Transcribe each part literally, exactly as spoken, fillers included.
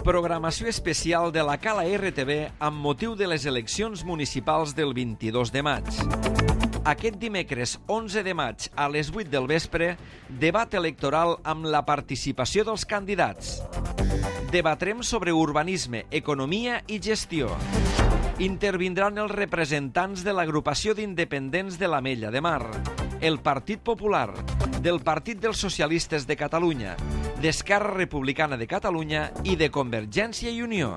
Programació especial de la Cala R T V amb motiu de les eleccions municipals del vint-i-dos de maig. Aquest dimecres onze de maig a les vuit del vespre, debat electoral amb la participació dels candidats. Debatrem sobre urbanisme, economia i gestió. Intervindran els representants de l'agrupació d'independents de l'Ametlla de Mar, el Partit Popular, del Partit dels Socialistes de Catalunya, d'Esquerra Republicana de Catalunya i de Convergència i Unió.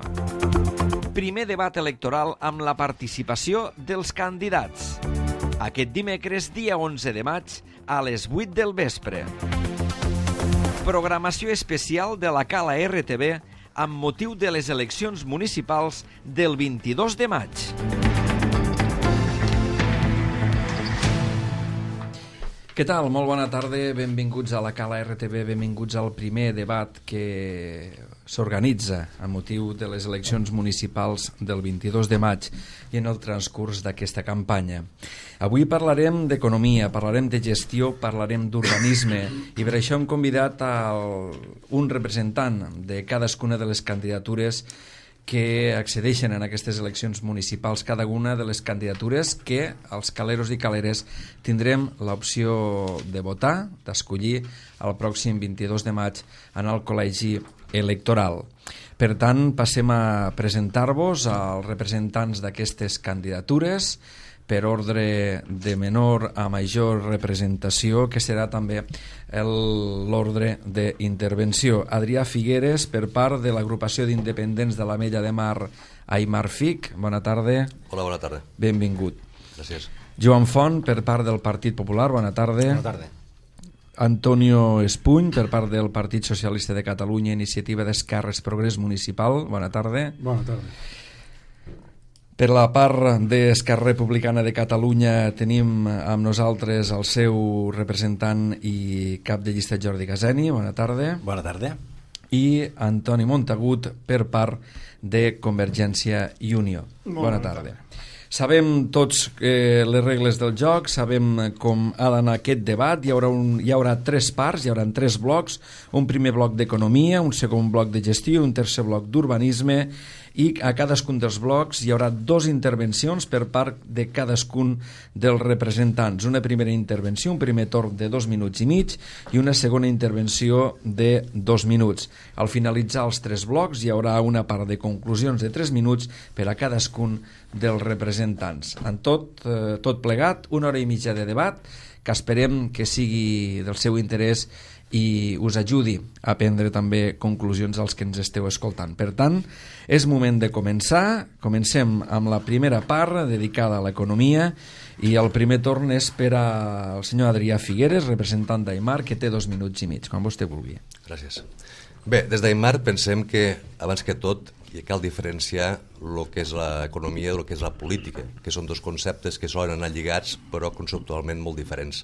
Primer debat electoral amb la participació dels candidats. Aquest dimecres, dia onze de maig, a les vuit del vespre. Programació especial de la Cala R T V amb motiu de les eleccions municipals del vint-i-dos de maig. Què tal? Molt bona tarda, benvinguts a la Cala R T V, benvinguts al primer debat que s'organitza a motiu de les eleccions municipals del vint-i-dos de maig i en el transcurs d'aquesta campanya. Avui parlarem d'economia, parlarem de gestió, parlarem d'urbanisme i per això hem convidat a un representant de cadascuna de les candidatures que accedeixen en aquestes eleccions municipals, cada una de les candidatures que els caleros i caleres tindrem l'opció de votar, d'escollir el pròxim vint-i-dos de maig en el col·legi electoral. Per tant, passem a presentar-vos als representants d'aquestes candidatures per ordre de menor a major representació, que serà també l'ordre d'intervenció. Adrià Figueres, per part de l'agrupació d'independents de l'Ametlla de Mar, Aimar Fic. Bona tarda. Hola, bona tarda. Benvingut. Gràcies. Joan Font, per part del Partit Popular. Bona tarda. Bona tarda. Antonio Espuny, per part del Partit Socialista de Catalunya, Iniciativa d'Esquerres Progrés Municipal. Bona tarda. Bona tarda. Per la part d'Esquerra Republicana de Catalunya tenim amb nosaltres el seu representant i cap de llista, Jordi Caseni. Bona tarda. Bona tarda. I Antoni Montagut, per part de Convergència i Unió. Molt bona tarda. Sabem tots eh, les regles del joc, sabem com ha d'anar aquest debat. Hi haurà, un, hi haurà tres parts, hi haurà tres blocs. Un primer bloc d'economia, un segon bloc de gestió i un tercer bloc d'urbanisme. I a cadascun dels blocs hi haurà dues intervencions per part de cadascun dels representants. Una primera intervenció, un primer torn de dos minuts i mig i una segona intervenció de dos minuts. Al finalitzar els tres blocs hi haurà una part de conclusions de tres minuts per a cadascun dels representants. En tot, eh, tot plegat, una hora i mitja de debat que esperem que sigui del seu interès i us ajudi a prendre també conclusions als que ens esteu escoltant. Per tant, és moment de començar. Comencem amb la primera part dedicada a l'economia i el primer torn és per al senyor Adrià Figueres, representant d'Aimar, que té dos minuts i mig, quan vostè vulgui. Gràcies. Bé, des d'Aimar pensem que, abans que tot, hi cal diferenciar el que és l'economia del que és la política, que són dos conceptes que solen anar lligats, però conceptualment molt diferents.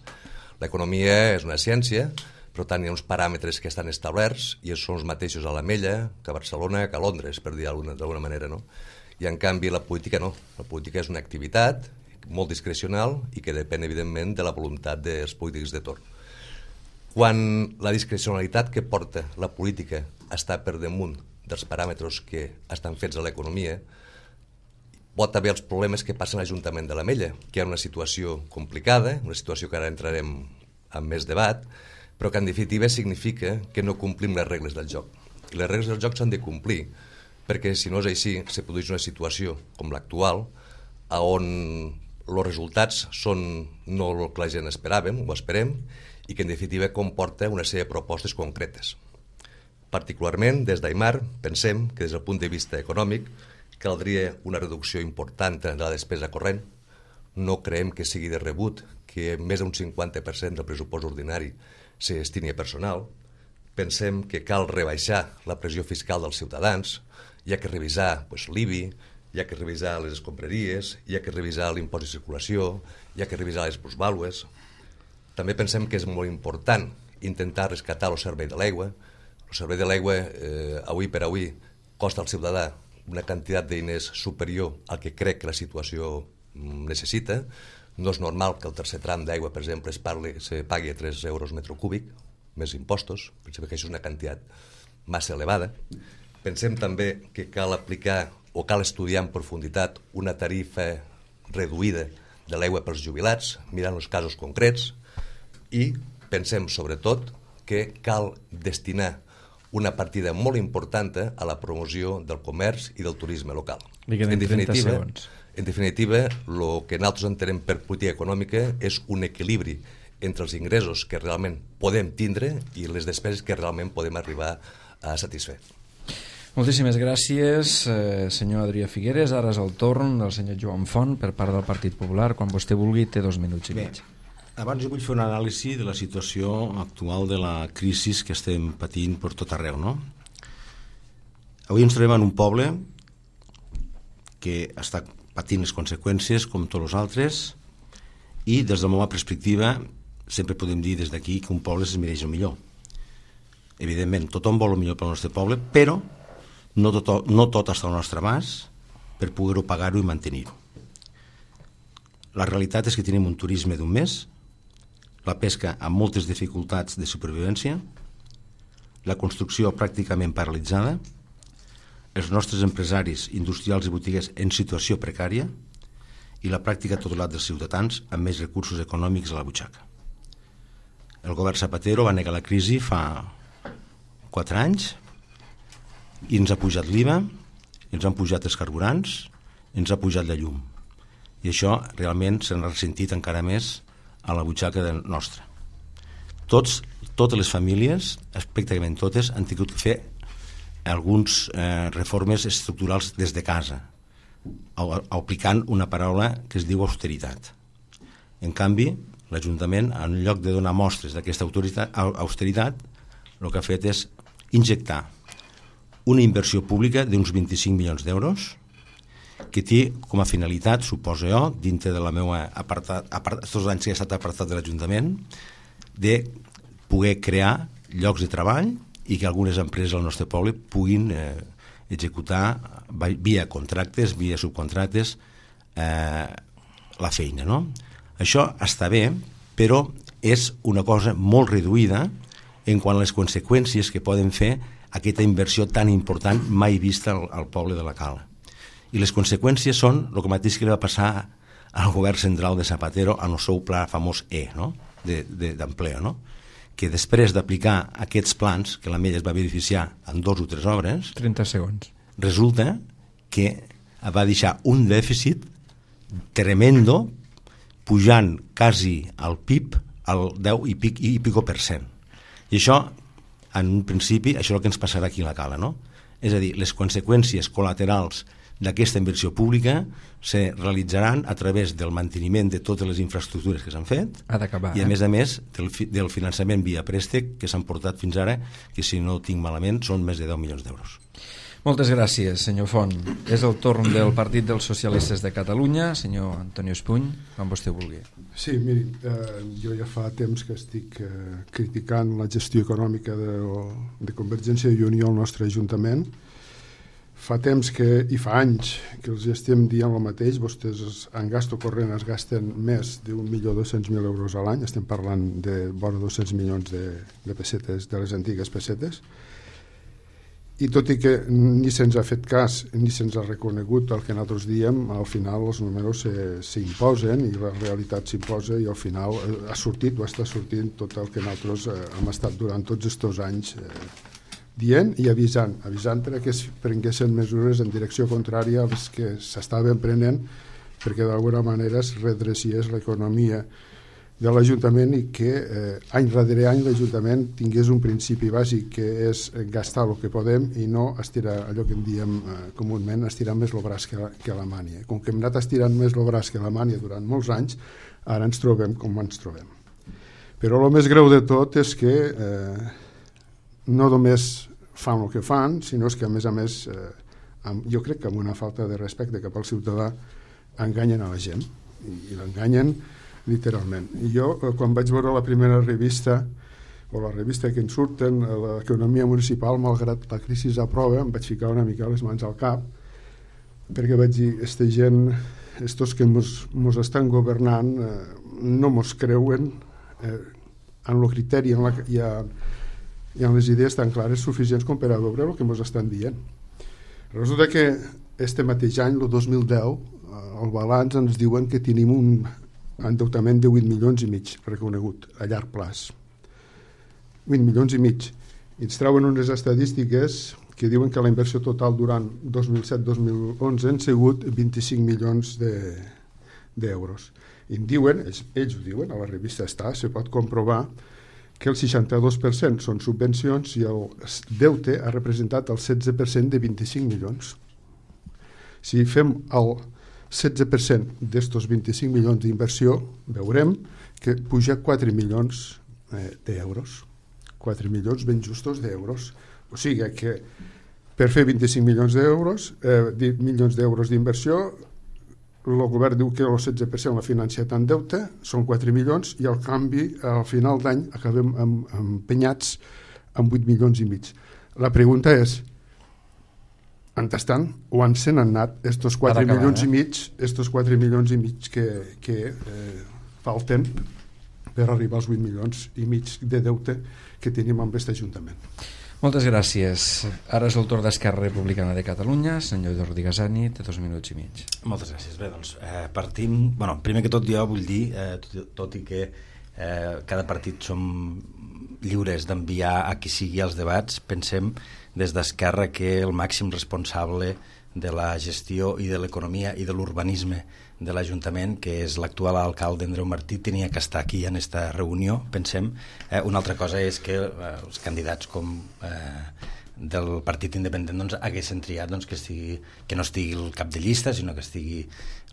L'economia és una ciència, per tant hi ha uns paràmetres que estan establerts i són els mateixos a l'Ametlla que a Barcelona, que a Londres, per dir d'alguna manera, no? I en canvi la política no. La política és una activitat molt discrecional i que depèn, evidentment, de la voluntat dels polítics de torn. Quan la discrecionalitat que porta la política està per damunt dels paràmetres que estan fets a l'economia, pot haver els problemes que passen a l'Ajuntament de l'Ametlla, que hi ha una situació complicada, una situació que ara entrarem en més debat, però que en definitiva significa que no complim les regles del joc. I les regles del joc s'han de complir, perquè si no és així, se produeix una situació com l'actual, on els resultats són no el que la gent esperàvem, o esperem, i que en definitiva comporta una sèrie de propostes concretes. Particularment, des d'Aimar, pensem que des del punt de vista econòmic caldria una reducció important de la despesa corrent. No creiem que sigui de rebut que més d'un cinquanta per cent del pressupost ordinari se destini a personal. Pensem que cal rebaixar la pressió fiscal dels ciutadans, hi ha que revisar pues, l'I B I, hi ha que revisar les escombraries, hi ha que revisar l'impost de circulació, hi ha que revisar les plusvàlues. També pensem que és molt important intentar rescatar el servei de l'aigua. El servei de l'aigua, eh, avui per avui, costa al ciutadà una quantitat de diners superior al que crec que la situació necessita. No és normal que el tercer tram d'aigua, per exemple, es, parli, se pagui a tres euros metre cúbic, més impostos. Pensem que això és una quantitat massa elevada. Pensem també que cal aplicar o cal estudiar en profunditat una tarifa reduïda de l'aigua pels jubilats, mirant els casos concrets, i pensem sobretot que cal destinar una partida molt important a la promoció del comerç i del turisme local. En definitiva, en definitiva, el que nosaltres entenem per política econòmica és un equilibri entre els ingressos que realment podem tindre i les despeses que realment podem arribar a satisfer. Moltíssimes gràcies, eh, senyor Adrià Figueres. Ara és el torn del senyor Joan Font per part del Partit Popular. Quan vostè vulgui, té dos minuts i Bé, mig. Abans jo vull fer una anàlisi de la situació actual de la crisi que estem patint per tot arreu, no? Avui ens trobem en un poble que està patint les conseqüències com tots els altres, i des de la meva perspectiva sempre podem dir des d'aquí que un poble es mereix el millor. Evidentment, tothom vol el millor pel nostre poble, però no tot, no tot està al nostre abast per poder-ho pagar-ho i mantenir-ho. La realitat és que tenim un turisme d'un mes, la pesca amb moltes dificultats de supervivència, la construcció pràcticament paralitzada, els nostres empresaris industrials i botiguers en situació precària i la pràctica total dels ciutadans amb més recursos econòmics a la butxaca. El govern Zapatero va negar la crisi fa quatre anys i ens ha pujat l'I V A, ens han pujat els carburants, ens ha pujat la llum. I això realment s'ha ressentit encara més a la butxaca nostra. Tots, totes les famílies, pràcticament totes, han tingut que fer algunes eh, reformes estructurals des de casa, aplicant una paraula que es diu austeritat. En canvi, l'Ajuntament, en lloc de donar mostres d'aquesta austeritat, el que ha fet és injectar una inversió pública d'uns vint-i-cinc milions d'euros que té com a finalitat, suposo jo, dintre de la meva apartat, apart, tots els anys que he estat apartat de l'Ajuntament, de poder crear llocs de treball i que algunes empreses del nostre poble puguin eh, executar via contractes, via subcontractes, eh, la feina, no? Això està bé, però és una cosa molt reduïda en quant a les conseqüències que poden fer aquesta inversió tan important mai vista al, al poble de la Cala. I les conseqüències són el mateix que li va passar al govern central de Zapatero en el seu pla famós E, no? d'empleo, no? Que després d'aplicar aquests plans, que la Mella es va beneficiar en dos o tres obres, trenta segons, resulta que va deixar un dèficit tremendo, pujant quasi al P I B al deu i pic, i pico per cent. I això, en un principi, això és el que ens passarà aquí a la Cala, no? És a dir, les conseqüències col·laterals d'aquesta inversió pública se realitzaran a través del manteniment de totes les infraestructures que s'han fet ha d'acabar, i a eh? més a més del, del finançament via préstec que s'han portat fins ara, que si no ho tinc malament són més de deu milions d'euros. Moltes gràcies, senyor Font. És el torn del Partit dels Socialistes de Catalunya, senyor Antonio Espuny, quan vostè vulgui. Sí, miri, eh, jo ja fa temps que estic eh, criticant la gestió econòmica de, de Convergència i Unió al nostre Ajuntament. Fa temps que, i fa anys, que els estem dient el mateix. Vostès en gasto corrent es gasten més d'un milió dos-cents mil euros a l'any. Estem parlant de vora dos-cents milions de, de pessetes, de les antigues pessetes. I tot i que ni se'ns ha fet cas ni se'ns ha reconegut el que nosaltres diem, al final els números s'imposen i la realitat s'imposa i al final ha sortit o està sortint tot el que nosaltres eh, hem estat durant tots aquests anys eh, dient i avisant, avisant perquè es prenguessin mesures en direcció contrària a les que s'estaven prenent perquè d'alguna manera es redreciés l'economia de l'Ajuntament i que eh, any darrere any l'Ajuntament tingués un principi bàsic que és gastar el que podem i no estirar allò que en diem eh, comúment, estirar més el braç que la, que la mània. Com que hem anat estirant més el braç que la mània durant molts anys, ara ens trobem com ens trobem. Però el més greu de tot és que eh, no només fan el que fan, sinó que a més a més eh, amb, jo crec que amb una falta de respecte cap al ciutadà enganyen a la gent i, i l'enganyen literalment. I jo, quan vaig veure la primera revista, o la revista que ens surten, l'economia municipal, malgrat la crisi aprova, em vaig ficar una mica les mans al cap, perquè vaig dir, aquesta gent, estos que mos, mos estan governant, eh, no mos creuen eh, en el criteri en la, i, a, i en les idees tan clares suficients com per a veure el que mos estan dient. Resulta que este mateix any, el dos mil deu, el balanç ens diuen que tenim un endeutament de vuit milions i mig reconegut a llarg plaç. vuit milions i mig. I ens treuen unes estadístiques que diuen que la inversió total durant dos mil set dos mil onze han sigut vint-i-cinc milions d'euros. I en diuen, ells, ells ho diuen, a la revista està, se pot comprovar que el seixanta-dos per cent són subvencions i el deute ha representat el setze per cent de vint-i-cinc milions. Si fem el setze per cent d'estos vint-i-cinc milions d'inversió, veurem que puja quatre milions eh, d'euros. quatre milions ben justos d'euros. O sigui que per fer vint-i-cinc milions d'euros, eh, milions d'euros d'inversió, el govern diu que el setze per cent l'ha financiat en deute, són quatre milions, i al canvi, al final d'any, acabem amb, empenyats amb vuit milions i mig. La pregunta és, on estan? O on se n'han anat estos quatre milions i mig, estos quatre milions i mig que, que eh, falten per arribar als vuit milions i mig de deute que tenim amb aquest Ajuntament. Moltes gràcies. Ara és el torn d'Esquerra Republicana de Catalunya. Senyor Jordi Gasani, té dos minuts i mig. Moltes gràcies. Bé, doncs, eh, partim... Bueno, primer que tot jo vull dir, eh, tot, tot i que eh, cada partit som lliures d'enviar a qui sigui els debats, pensem des d'Esquerra que el màxim responsable de la gestió i de l'economia i de l'urbanisme de l'Ajuntament, que és l'actual alcalde Andreu Martí, tenia que estar aquí en aquesta reunió, pensem. Eh, una altra cosa és que eh, els candidats com eh, del Partit Independent doncs, haguessin triat doncs, que, estigui, que no estigui el cap de llista, sinó que estigui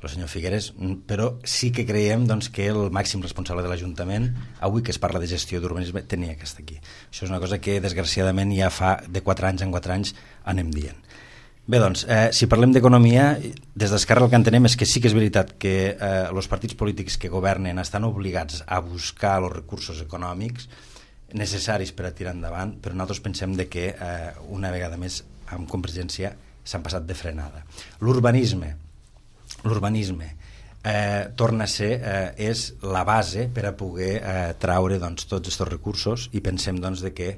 el senyor Figueres, però sí que creiem doncs, que el màxim responsable de l'Ajuntament, avui que es parla de gestió d'urbanisme, tenia que estar aquí. Això és una cosa que desgraciadament ja fa de quatre anys en quatre anys anem dient. Bé, doncs, eh, si parlem d'economia, des d'Esquerra el que entenem és que sí que és veritat que eh, els partits polítics que governen estan obligats a buscar els recursos econòmics necessaris per a tirar endavant, però nosaltres pensem de que eh, una vegada més amb Convergència s'han passat de frenada. L'urbanisme, l'urbanisme eh, torna a ser, eh, és la base per a poder eh, traure doncs, tots aquests recursos, i pensem doncs, de que,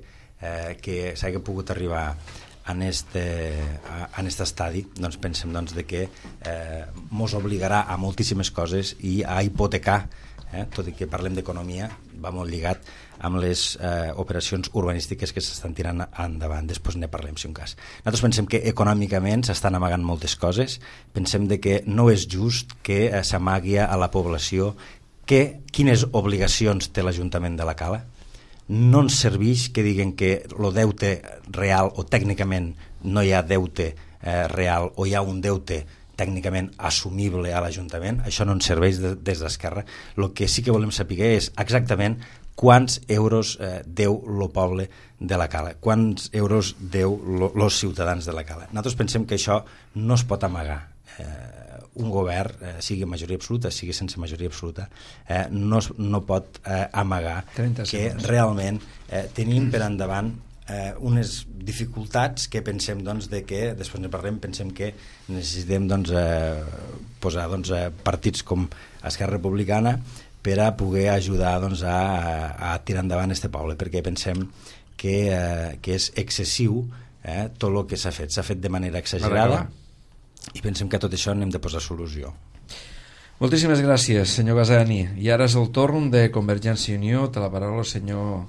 eh, que s'hagi pogut arribar en este, en este estadi, doncs pensem doncs, de que eh, mos obligarà a moltíssimes coses i a hipotecar, eh, tot i que parlem d'economia, va molt lligat amb les eh, operacions urbanístiques que s'estan tirant endavant. Després ne parlem, si un cas. Nosaltres pensem que econòmicament s'estan amagant moltes coses, pensem de que no és just que eh, s'amagui a la població que, quines obligacions té l'Ajuntament de la Cala. No ens serveix que diguen que el deute real, o tècnicament no hi ha deute eh, real, o hi ha un deute tècnicament assumible a l'Ajuntament. Això no ens serveix de, des d'Esquerra. El que sí que volem saber és exactament quants euros eh, deu el poble de la Cala, quants euros deu els ciutadans de la Cala. Nosaltres pensem que això no es pot amagar. Eh, un govern, eh, sigui majoria absoluta, sigui sense majoria absoluta, eh, no, no pot eh, amagar que realment eh, tenim per endavant eh, unes dificultats que pensem doncs, de que, després ne parlem, pensem que necessitem doncs, eh, posar doncs, eh, partits com Esquerra Republicana per a poder ajudar doncs, a, a tirar endavant este poble, perquè pensem que, eh, que és excessiu eh, tot el que s'ha fet. S'ha fet de manera exagerada i pensem que a tot això n'hem de posar solució. Moltíssimes gràcies, senyor Gasani. I ara és el torn de Convergència i Unió. Té la paraula el senyor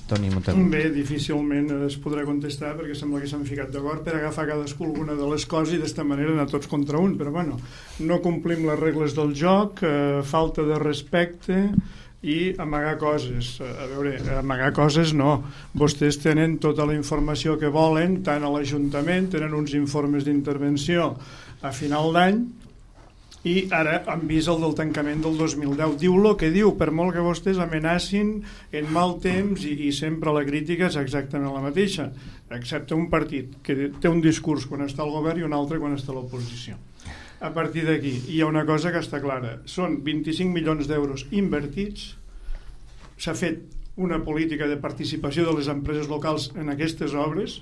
Toni Montagut. Bé, difícilment es podrà contestar perquè sembla que s'han ficat d'acord per agafar cadascú alguna de les coses i d'esta manera anar tots contra un, però bueno, no complim les regles del joc, eh, falta de respecte i amagar coses. A veure, amagar coses no. Vostès tenen tota la informació que volen, tant a l'Ajuntament, tenen uns informes d'intervenció a final d'any, i ara han vist el del tancament del dos mil deu. Diu el que diu, per molt que vostès amenacin en mal temps, i, i sempre la crítica és exactament la mateixa, excepte un partit que té un discurs quan està al govern i un altre quan està a l'oposició. A partir d'aquí hi ha una cosa que està clara, són vint-i-cinc milions d'euros invertits, s'ha fet una política de participació de les empreses locals en aquestes obres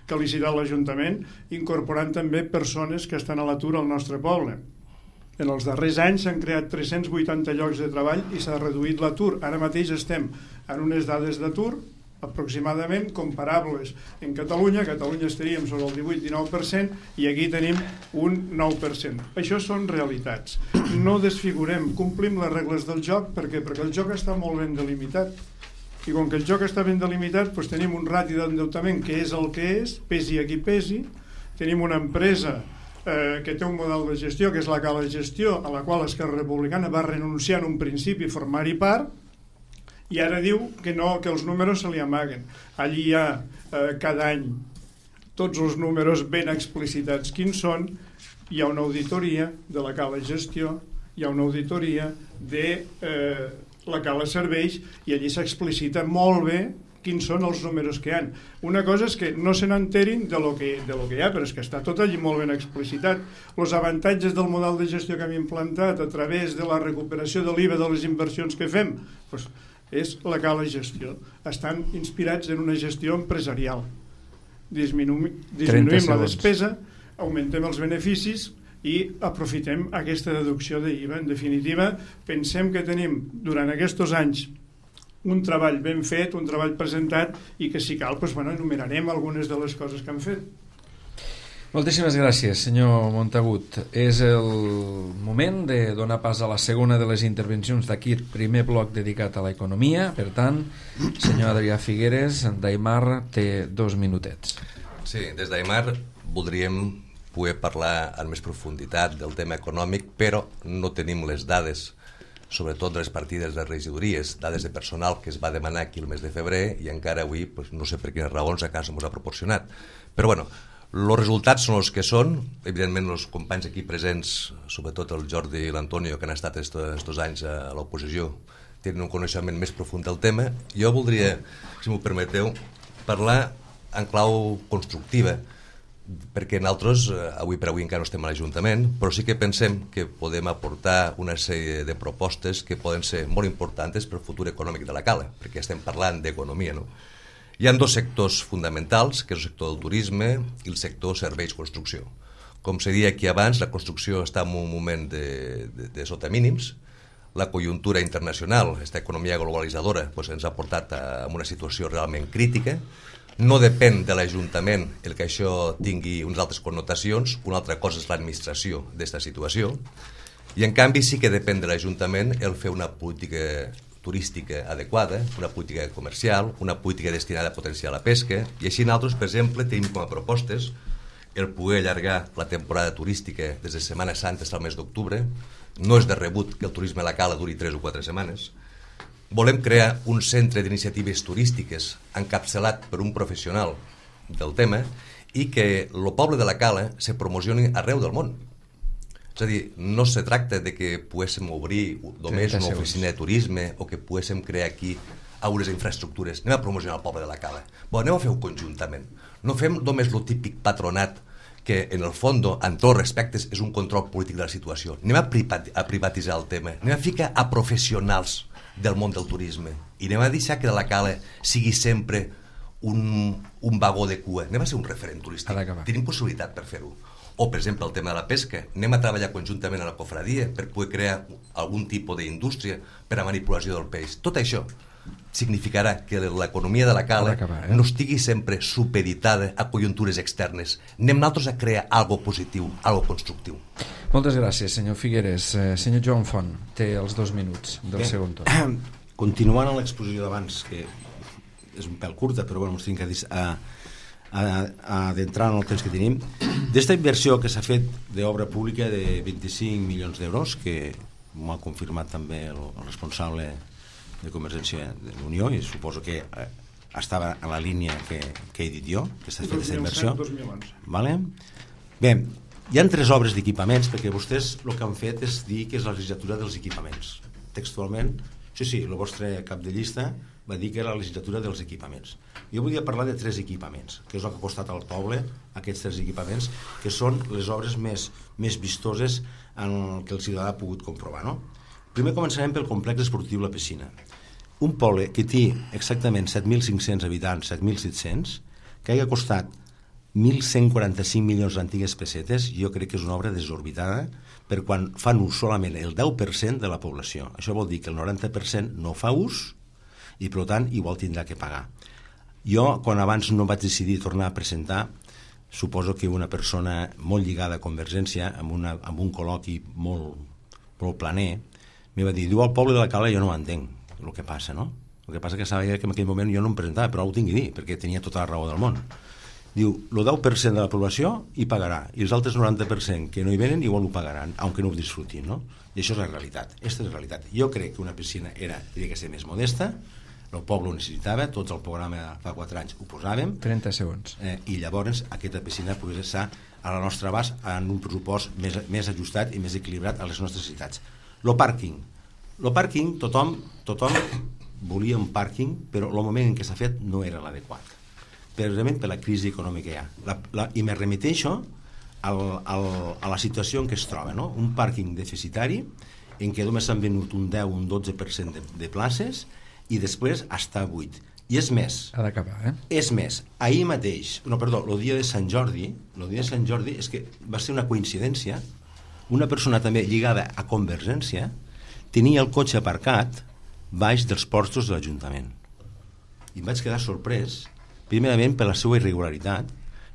que ha licitat l'Ajuntament, incorporant també persones que estan a l'atur al nostre poble. En els darrers anys s'han creat tres-cents vuitanta llocs de treball i s'ha reduït l'atur. Ara mateix estem en unes dades d'atur aproximadament comparables en Catalunya. A Catalunya estaríem sobre el divuit dinou per cent i aquí tenim un nou per cent. Això són realitats. No desfigurem, complim les regles del joc. Per què? Perquè el joc està molt ben delimitat. I com que el joc està ben delimitat, doncs tenim un rati d'endeutament que és el que és, pesi a qui pesi. Tenim una empresa eh, que té un model de gestió, que és la Cala Gestió, a la qual Esquerra Republicana va renunciar en un principi a formar-hi part, i ara diu que no, que els números se li amaguen. Allí hi ha eh, cada any tots els números ben explicitats quins són. Hi ha una auditoria de la Cala Gestió, hi ha una auditoria de eh, la Cala Serveis, i allí s'explicita molt bé quins són els números que hi ha. Una cosa és que no se n'enterin de lo que, de lo que hi ha, però és que està tot allí molt ben explicitat. Els avantatges del model de gestió que hem implantat a través de la recuperació de l'I V A de les inversions que fem, doncs, és la Cala Gestió. Estan inspirats en una gestió empresarial. Disminu- disminuïm la despesa, augmentem els beneficis i aprofitem aquesta deducció d'I V A. En definitiva, pensem que tenim durant aquests anys un treball ben fet, un treball presentat, i que si cal, doncs, bueno, enumerarem algunes de les coses que han fet. Moltíssimes gràcies, senyor Montagut. És el moment de donar pas a la segona de les intervencions d'aquest primer bloc dedicat a l'economia. Per tant, senyor Adrià Figueres, d'Aimar té dos minutets. Sí, des d'Aimar voldríem poder parlar en més profunditat del tema econòmic, però no tenim les dades, sobretot de les partides de regidories, dades de personal que es va demanar aquí el mes de febrer, i encara avui pues, no sé per quines raons a casa ens ha proporcionat. Però bueno, els resultats són els que són. Evidentment els companys aquí presents, sobretot el Jordi i l'Antonio, que han estat aquests anys a l'oposició, tenen un coneixement més profund del tema. Jo voldria, si m'ho permeteu, parlar en clau constructiva, perquè nosaltres, avui per avui encara no estem a l'Ajuntament, però sí que pensem que podem aportar una sèrie de propostes que poden ser molt importants per al futur econòmic de la Cala, perquè estem parlant d'economia, no? Hi ha dos sectors fonamentals, que és el sector del turisme i el sector serveis construcció. Com se deia aquí abans, la construcció està en un moment de, de, de sota mínims. La conjuntura internacional, aquesta economia globalitzadora, doncs ens ha portat a una situació realment crítica. No depèn de l'Ajuntament el que això tingui unes altres connotacions, una altra cosa és l'administració d'aquesta situació, i en canvi sí que depèn de l'Ajuntament el fer una política turística adequada, una política comercial, una política destinada a potenciar la pesca, i així nosaltres, per exemple, tenim com a propostes el poder allargar la temporada turística des de Setmana Santa fins al mes d'octubre. No és de rebut que el turisme a la Cala duri tres o quatre setmanes. Volem crear un centre d'iniciatives turístiques encapçalat per un professional del tema i que el poble de la Cala se promocioni arreu del món. És a dir, no se tracta de que poguéssim obrir només una oficina de turisme o que poguéssim crear aquí unes infraestructures. Anem a promocionar el poble de la Cala. Bon, anem a fer-ho conjuntament. No fem només el típic patronat que, en el fons, en tots els respectes, és un control polític de la situació. Anem a, privat, a privatitzar el tema. Anem a ficar a professionals del món del turisme i anem a deixar que la Cala sigui sempre un, un vagó de cua. Anem a ser un referent turístic. Tenim possibilitat per fer-ho. O, per exemple, el tema de la pesca. Anem a treballar conjuntament a la cofradia per poder crear algun tipus d'indústria per a manipulació del peix. Tot això significarà que l'economia de la Cala acabar, eh? no estigui sempre supeditada a conjuntures externes. Anem nosaltres a crear algo positiu, algo constructiu. Moltes gràcies, senyor Figueres. Eh, senyor Joan Font, té els dos minuts del Bé, segon torn. Continuant amb l'exposició d'abans, que és un pèl curta, però bueno, ens tinc que dir... A... adentrar en el temps que tenim, d'esta inversió que s'ha fet d'obra pública de vint-i-cinc milions d'euros, que m'ho ha confirmat també el, el responsable de Convergència de l'Unió, i suposo que eh, estava en la línia que, que he dit jo, que s'ha fet aquesta inversió. dos mil onze. Vale? Bé, hi ha tres obres d'equipaments, perquè vostès el que han fet és dir que és la legislatura dels equipaments. Textualment, sí, sí, el vostre cap de llista va dir que era la legislatura dels equipaments. Jo volia parlar de tres equipaments, que és el que ha costat al poble, aquests tres equipaments, que són les obres més, més vistoses en què el ciutadà ha pogut comprovar, no? Primer començarem pel complex esportiu La Piscina. Un poble que té exactament set mil cinc-cents habitants, set mil set-cents, que hagi costat mil cent quaranta-cinc milions d'antigues pessetes, jo crec que és una obra desorbitada, per quan fan ús solament el deu per cent de la població. Això vol dir que el noranta per cent no fa ús i, per tant, igual tindrà que pagar. Jo, quan abans no vaig decidir tornar a presentar, suposo que una persona molt lligada a Convergència, amb, una, amb un col·loqui molt, molt planer, m'hi va dir, diu, al poble de la Cala jo no entenc el que passa, no? El que passa que sabia que en aquell moment jo no em presentava, però ho tinc que dir, perquè tenia tota la raó del món. Diu, el deu per cent de la població hi pagarà, i els altres noranta per cent que no hi venen igual ho pagaran, aunque no ho disfrutin, no? I això és la realitat, aquesta és la realitat. Jo crec que una piscina era, tenia que ser més modesta, el poble ho necessitava, tots el programa fa quatre anys ho posàvem. trenta segons. Eh, I llavors aquesta piscina pogués estar a la nostra abast en un pressupost més, més ajustat i més equilibrat a les nostres necessitats. Lo pàrquing. Lo pàrquing, tothom, tothom volia un pàrquing, però el moment en què s'ha fet no era l'adequat. Precisament per la crisi econòmica que hi ha. La, la, I me remeteixo al, al, a la situació en què es troba, no? Un pàrquing deficitari en què només s'han venut un deu o un dotze per cent de, de places i després està buit. I és més. Ha d'acabar, eh? És més. Ahir mateix, no, perdó, el dia de Sant Jordi, el dia de Sant Jordi és que va ser una coincidència, una persona també lligada a Convergència tenia el cotxe aparcat baix dels portos de l'Ajuntament. I em vaig quedar sorprès, primerament per la seva irregularitat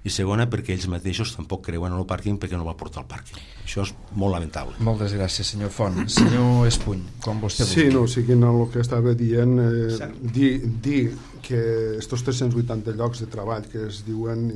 i segona perquè ells mateixos tampoc creuen en el pàrquing perquè no va portar el pàrquing. Això és molt lamentable. Moltes gràcies, senyor Font. Senyor Espuny, quan vostè vulgui. Sí, no, seguint el que estava dient, eh, dir, dir que estos tres-cents vuitanta llocs de treball que es diuen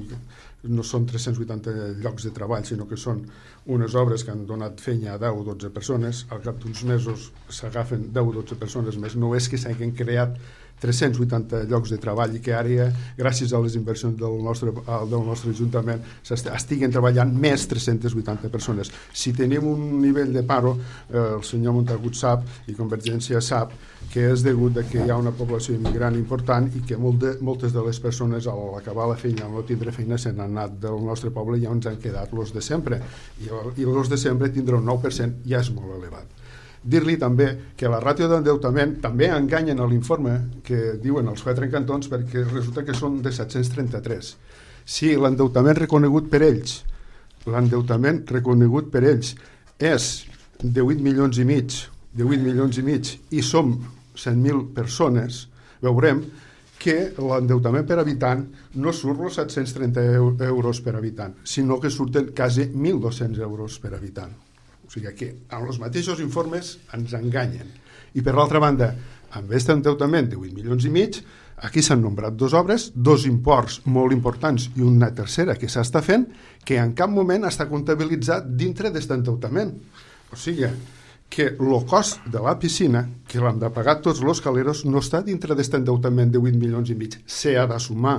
no són tres-cents vuitanta llocs de treball, sinó que són unes obres que han donat feina a deu o dotze persones, al cap d'uns mesos s'agafen deu o dotze persones més, no és que s'hagin creat tres-cents vuitanta llocs de treball i que ara, gràcies a les inversions del nostre, del nostre Ajuntament, estiguen treballant més tres-cents vuitanta persones. Si tenim un nivell de paro, eh, el senyor Montagut sap, i Convergència sap, que és degut a que hi ha una població immigrant important i que molt de, moltes de les persones al acabar la feina, al no tindre feina, se n'han anat del nostre poble i ja ens han quedat los de sempre. I, i los de sempre tindrà un nou per cent, ja és molt elevat. Dir-li també que la ràtio d'endeutament també enganyen a l'informe que diuen els quatre encantons perquè resulta que són de set-cents trenta-tres. Si l'endeutament reconegut per ells, l'endeutament reconegut per ells és de vuit milions i mig, de vuit milions i mig i som cent mil persones, veurem que l'endeutament per habitant no surt els set-cents trenta euros per habitant, sinó que surten quasi mil dos-cents euros per habitant. O sigui que amb els mateixos informes ens enganyen. I per l'altra banda, amb aquest endeutament de vuit milions i mig, aquí s'han nombrat dos obres, dos imports molt importants i una tercera que s'està fent, que en cap moment està comptabilitzat dintre d'aquest endeutament. O sigui que el cost de la piscina, que l'han de pagar tots els caleros, no està dintre d'aquest endeutament de vuit milions i mig. S'ha de sumar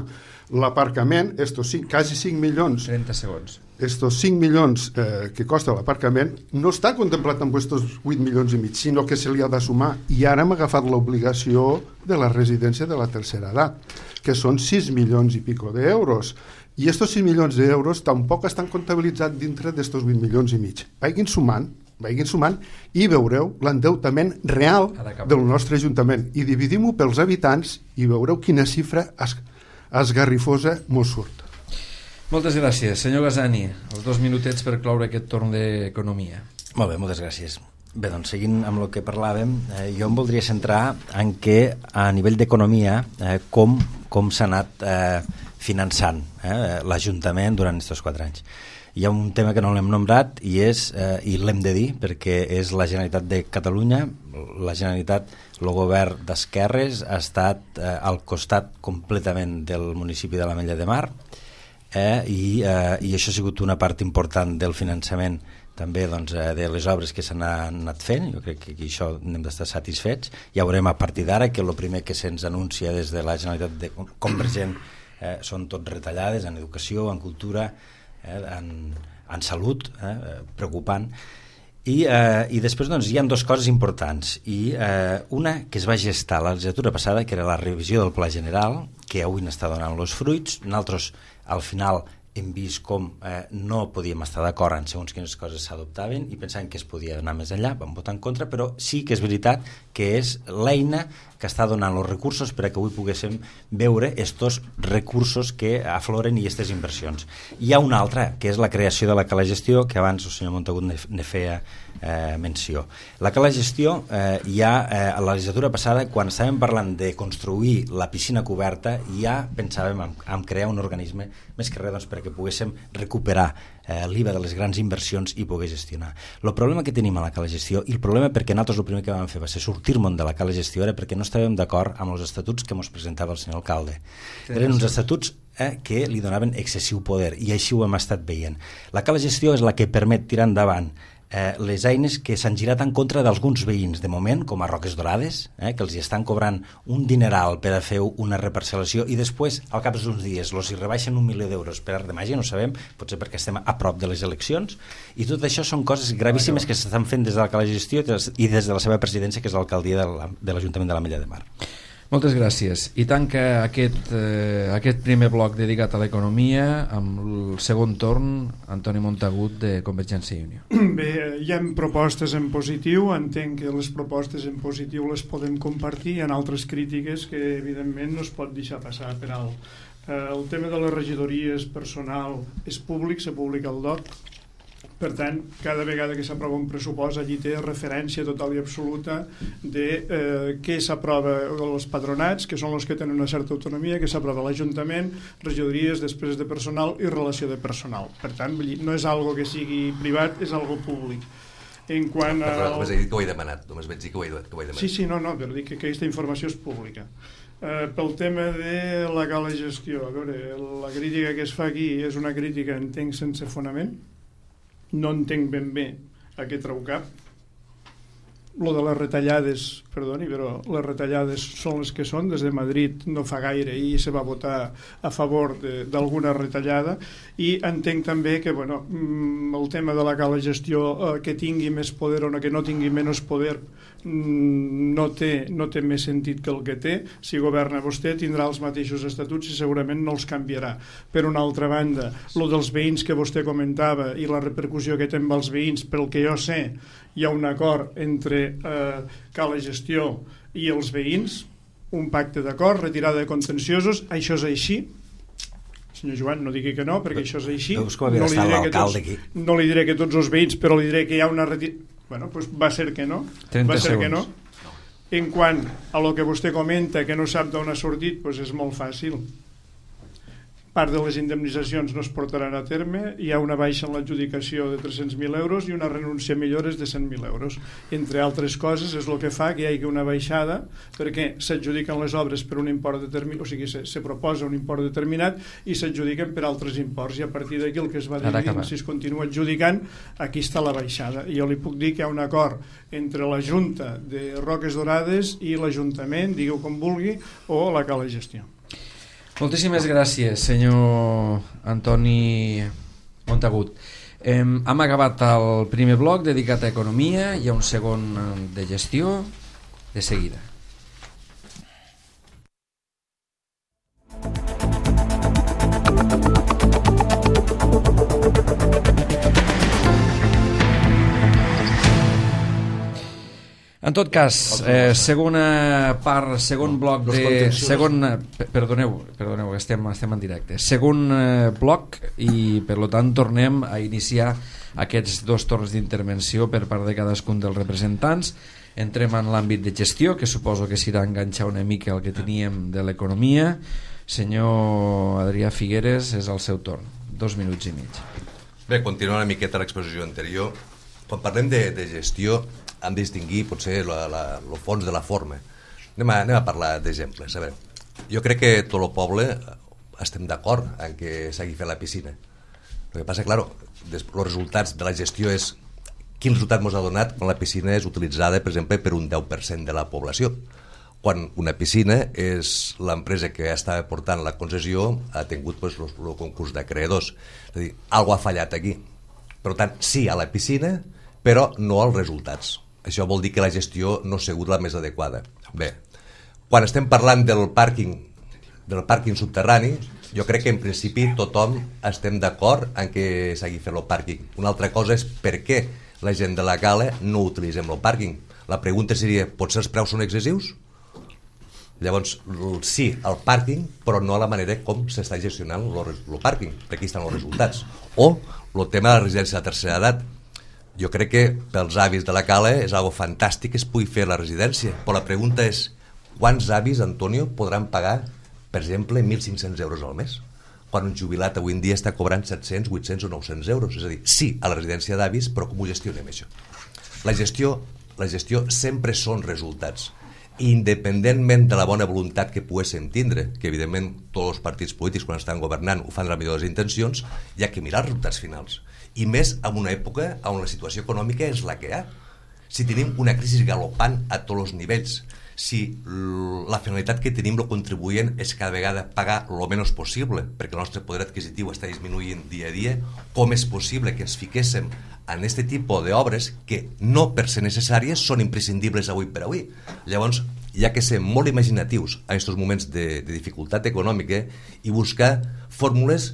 l'aparcament, estos cinc, quasi cinc milions... trenta segons. Estos cinc milions eh, que costa l'aparcament no està contemplat amb estos vuit milions i mig, sinó que se li ha de sumar. I ara hem agafat l'obligació de la residència de la tercera edat, que són sis milions i pico d'euros. I estos sis milions d'euros tampoc estan comptabilitzats dintre d'estos vuit milions i mig. Vagin sumant, vagin sumant i veureu l'endeutament real del nostre Ajuntament. I dividim-ho pels habitants i veureu quina xifra es, esgarrifosa mos surt. Moltes gràcies. Senyor Gazani, els dos minutets per cloure aquest torn d'economia. Molt bé, moltes gràcies. Bé, doncs, seguint amb el que parlàvem, eh, jo em voldria centrar en què, a nivell d'economia, eh, com, com s'ha anat eh, finançant eh, l'Ajuntament durant aquests quatre anys. Hi ha un tema que no l'hem nombrat i, és, eh, i l'hem de dir perquè és la Generalitat de Catalunya. La Generalitat, el govern d'esquerres, ha estat eh, al costat completament del municipi de l'Ametlla de Mar, Eh, i, eh, i això ha sigut una part important del finançament també doncs, eh, de les obres que s'han anat fent. Jo crec que aquí això n'hem d'estar satisfets. Ja veurem a partir d'ara que el primer que se'ns anuncia des de la Generalitat de Convergent eh, són tot retallades en educació, en cultura, eh, en, en salut, eh, preocupant. I, eh, i després doncs, hi ha dues coses importants i eh, una que es va gestar la legislatura passada, que era la revisió del Pla General, que avui n'està donant els fruits. Nosaltres al final hem vist com eh, no podíem estar d'acord en segons quines coses s'adoptaven i pensàvem que es podia anar més enllà, vam votar en contra, però sí que és veritat que és l'eina que està donant els recursos per a que avui poguéssim veure estos recursos que afloren i aquestes inversions. Hi ha una altra, que és la creació de la cala gestió, que abans el senyor Montagut ne feia eh, menció. La cala gestió, eh, ja eh, a la legislatura passada, quan estàvem parlant de construir la piscina coberta, ja pensàvem en, en crear un organisme més que res doncs, perquè poguéssim recuperar eh, l'I V A de les grans inversions i poder gestionar. El problema que tenim a la cala gestió, i el problema perquè nosaltres el primer que vam fer va ser sortir-me'n de la cala gestió, era perquè no estàvem d'acord amb els estatuts que ens presentava el senyor alcalde. Eren uns estatuts eh, que li donaven excessiu poder, i així ho hem estat veient. La cala gestió és la que permet tirar endavant eh, les eines que s'han girat en contra d'alguns veïns, de moment, com a Roques Dorades, eh, que els hi estan cobrant un dineral per a fer una reparcel·lació i després, al cap d'uns dies, els hi rebaixen un milió d'euros per art de màgia, no sabem, potser perquè estem a prop de les eleccions, i tot això són coses gravíssimes que s'estan fent des de la cala gestió i des de la seva presidència, que és l'alcaldia de l'Ajuntament de l'Ametlla de Mar. Moltes gràcies. I tanca aquest, eh, aquest primer bloc dedicat a l'economia amb el segon torn, Antoni Montagut, de Convergència i Unió. Bé, hi ha propostes en positiu, entenc que les propostes en positiu les podem compartir, hi ha altres crítiques que evidentment no es pot deixar passar per alt. Eh, el tema de les regidories personal és públic, se publica al D O C. Per tant, cada vegada que s'aprova un pressupost allí té referència total i absoluta de eh, què s'aprova els patronats, que són els que tenen una certa autonomia, que s'aprova l'Ajuntament, regidories, despeses de personal i relació de personal. Per tant, no és algo que sigui privat, és algo públic. En quant a... Perdona, només he dit que ho he demanat, només vaig dir que ho he, que ho he demanat. Sí, sí, no, no, però dic que aquesta informació és pública. Uh, pel tema de la cala gestió, a veure, la crítica que es fa aquí és una crítica, entenc, sense fonament. No entenc ben bé a què treu cap. Lo de les retallades, perdoni, però les retallades són les que són. Des de Madrid no fa gaire i se va votar a favor d'alguna retallada, i entenc també que bueno, el tema de la cala gestió, eh, que tingui més poder o no, que no tingui menys poder, no té, no té més sentit que el que té. Si governa vostè tindrà els mateixos estatuts i segurament no els canviarà. Per una altra banda, lo dels veïns que vostè comentava i la repercussió que té amb els veïns, pel que jo sé hi ha un acord entre eh, cala gestió i els veïns, un pacte d'acord, retirada de contenciosos, això és així. Senyor Joan, no digui que no, perquè això és així. No, no, li diré que tots, no li diré que tots els veïns, però li diré que hi ha una retirada. Bueno, pues va ser que no. Va ser que no. En quant a lo que vostè comenta, que no sap d'on ha sortit, pues és molt fàcil. Part de les indemnitzacions no es portaran a terme, hi ha una baixa en l'adjudicació de tres-cents mil euros i una renúncia a millores de cent mil euros. Entre altres coses, és el que fa que hi hagi una baixada, perquè s'adjudiquen les obres per un import determinat, o sigui, se, se proposa un import determinat i s'adjudiquen per altres imports, i a partir d'aquí el que es va dir, si es continua adjudicant, aquí està la baixada. I jo li puc dir que hi ha un acord entre la Junta de Roques Dorades i l'Ajuntament, digueu com vulgui, o la cala gestió. Moltíssimes gràcies, senyor Antoni Montagut. Hem, hem acabat el primer bloc dedicat a economia, hi ha un segon de gestió de seguida. En tot cas, eh, segona part, segon bloc de... Segon, perdoneu, perdoneu, estem, estem en directe. Segon eh, bloc, i per tant tornem a iniciar aquests dos torns d'intervenció per part de cadascun dels representants. Entrem en l'àmbit de gestió, que suposo que s'irà a enganxar una mica el que teníem de l'economia. Senyor Adrià Figueres, és el seu torn. Dos minuts i mig. Bé, continuant una miqueta l'exposició anterior, quan parlem de, de gestió hem de distinguir potser el fons de la forma. Anem a, anem a parlar d'exemples. A veure, jo crec que tot el poble estem d'acord en que s'hagi fet la piscina. El que passa, clar, els resultats de la gestió és quin resultat ens ha donat quan la piscina és utilitzada, per exemple, per un deu per cent de la població. Quan una piscina és l'empresa que està portant la concessió ha tingut pues, el concurs d'acreedors. És a dir, alguna ha fallat aquí. Per tant, sí a la piscina, però no als resultats. Això vol dir que la gestió no ha sigut la més adequada. Bé, quan estem parlant del pàrquing, del pàrquing subterrani, jo crec que en principi tothom estem d'acord en que s'hagi fet el pàrquing. Una altra cosa és per què la gent de la cala no utilitzem el pàrquing. La pregunta seria, potser els preus són excessius? Llavors, sí, el pàrquing, però no a la manera com s'està gestionant el pàrquing, perquè aquí estan els resultats. O el tema de la residència de tercera edat. Jo crec que pels avis de la Cala és algo fantàstic que es pugui fer a la residència, però la pregunta és quants avis, Antonio, podran pagar, per exemple, mil cinc-cents euros al mes? Quan un jubilat avui en dia està cobrant set-cents, vuit-cents o nou-cents euros. És a dir, sí, a la residència d'avis, però com ho gestionem, això? La gestió, la gestió sempre són resultats. Independentment de la bona voluntat que poguéssim tindre, que evidentment tots els partits polítics quan estan governant ho fan de la millor de les intencions, hi ha que mirar els resultats finals. I més en una època on la situació econòmica és la que hi ha. Si tenim una crisi galopant a tots els nivells, si la finalitat que tenim el contribuent és cada vegada pagar el menys possible, perquè el nostre poder adquisitiu està disminuint dia a dia, com és possible que ens fiquéssim en aquest tipus d'obres que no per ser necessàries són imprescindibles avui per avui? Llavors, hi ha que ser molt imaginatius en aquests moments de, de dificultat econòmica i buscar fórmules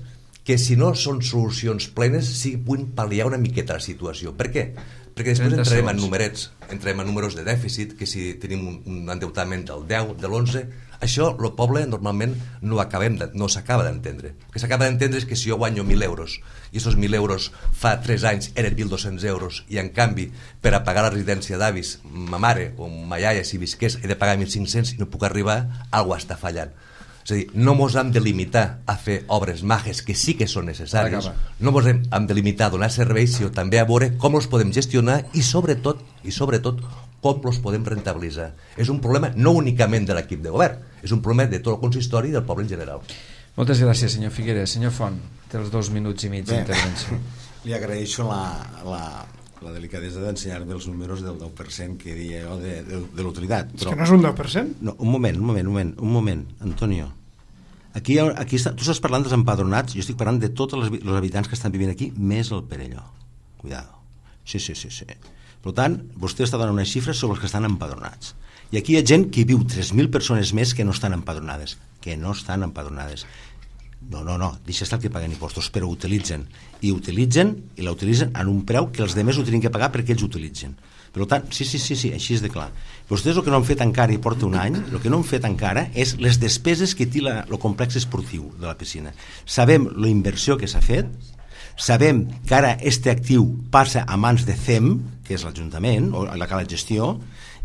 que si no són solucions plenes sí puguin pal·liar una miqueta la situació. Per què? Perquè després entrarem en numerets, entrarem en números de dèficit, que si tenim un, un endeutament del deu, de l'onze, això el poble normalment no, acabem de, no s'acaba d'entendre. El que s'acaba d'entendre és que si jo guanyo mil euros i aquests mil euros fa tres anys eren mil dos-cents euros i en canvi per a pagar la residència d'avis ma mare o ma iaia si visqués he de pagar mil cinc-cents i no puc arribar, alguna està fallant. És a dir, no ens hem de limitar a fer obres mages que sí que són necessàries, no ens hem de limitar a donar serveis, sinó també a veure com els podem gestionar i sobretot, i sobretot com els podem rentabilitzar. És un problema no únicament de l'equip de govern, és un problema de tot el consistori i del poble en general. Moltes gràcies, senyor Figueres. Senyor Font, té els dos minuts i mig d'intervenció. Li agraeixo la, la, la delicadesa d'ensenyar-me els números del deu per cent que deia jo de, de, de l'utilitat. És que no és un deu per cent? No, un moment, un moment, un moment, un moment, Antonio. Aquí, aquí està, tu estàs parlant dels empadronats, jo estic parlant de tots els, els habitants que estan vivint aquí, més el Perelló. Cuidado. Sí, sí, sí, sí. Per tant, vostè està donant unes xifres sobre els que estan empadronats. I aquí hi ha gent que viu tres mil persones més que no estan empadronades. Que no estan empadronades. No, no, no, deixa estar que paguen impostos, però utilitzen. I utilitzen, i la utilitzen en un preu que els demés ho tenen que pagar perquè ells utilitzen. Per tant, sí, sí, sí, sí, així és de clar. Vostès el que no han fet encara i porta un any, el que no han fet encara és les despeses que té la, el complex esportiu de la piscina. Sabem la inversió que s'ha fet, sabem que ara este actiu passa a mans de C E M, que és l'Ajuntament, o la Cala Gestió,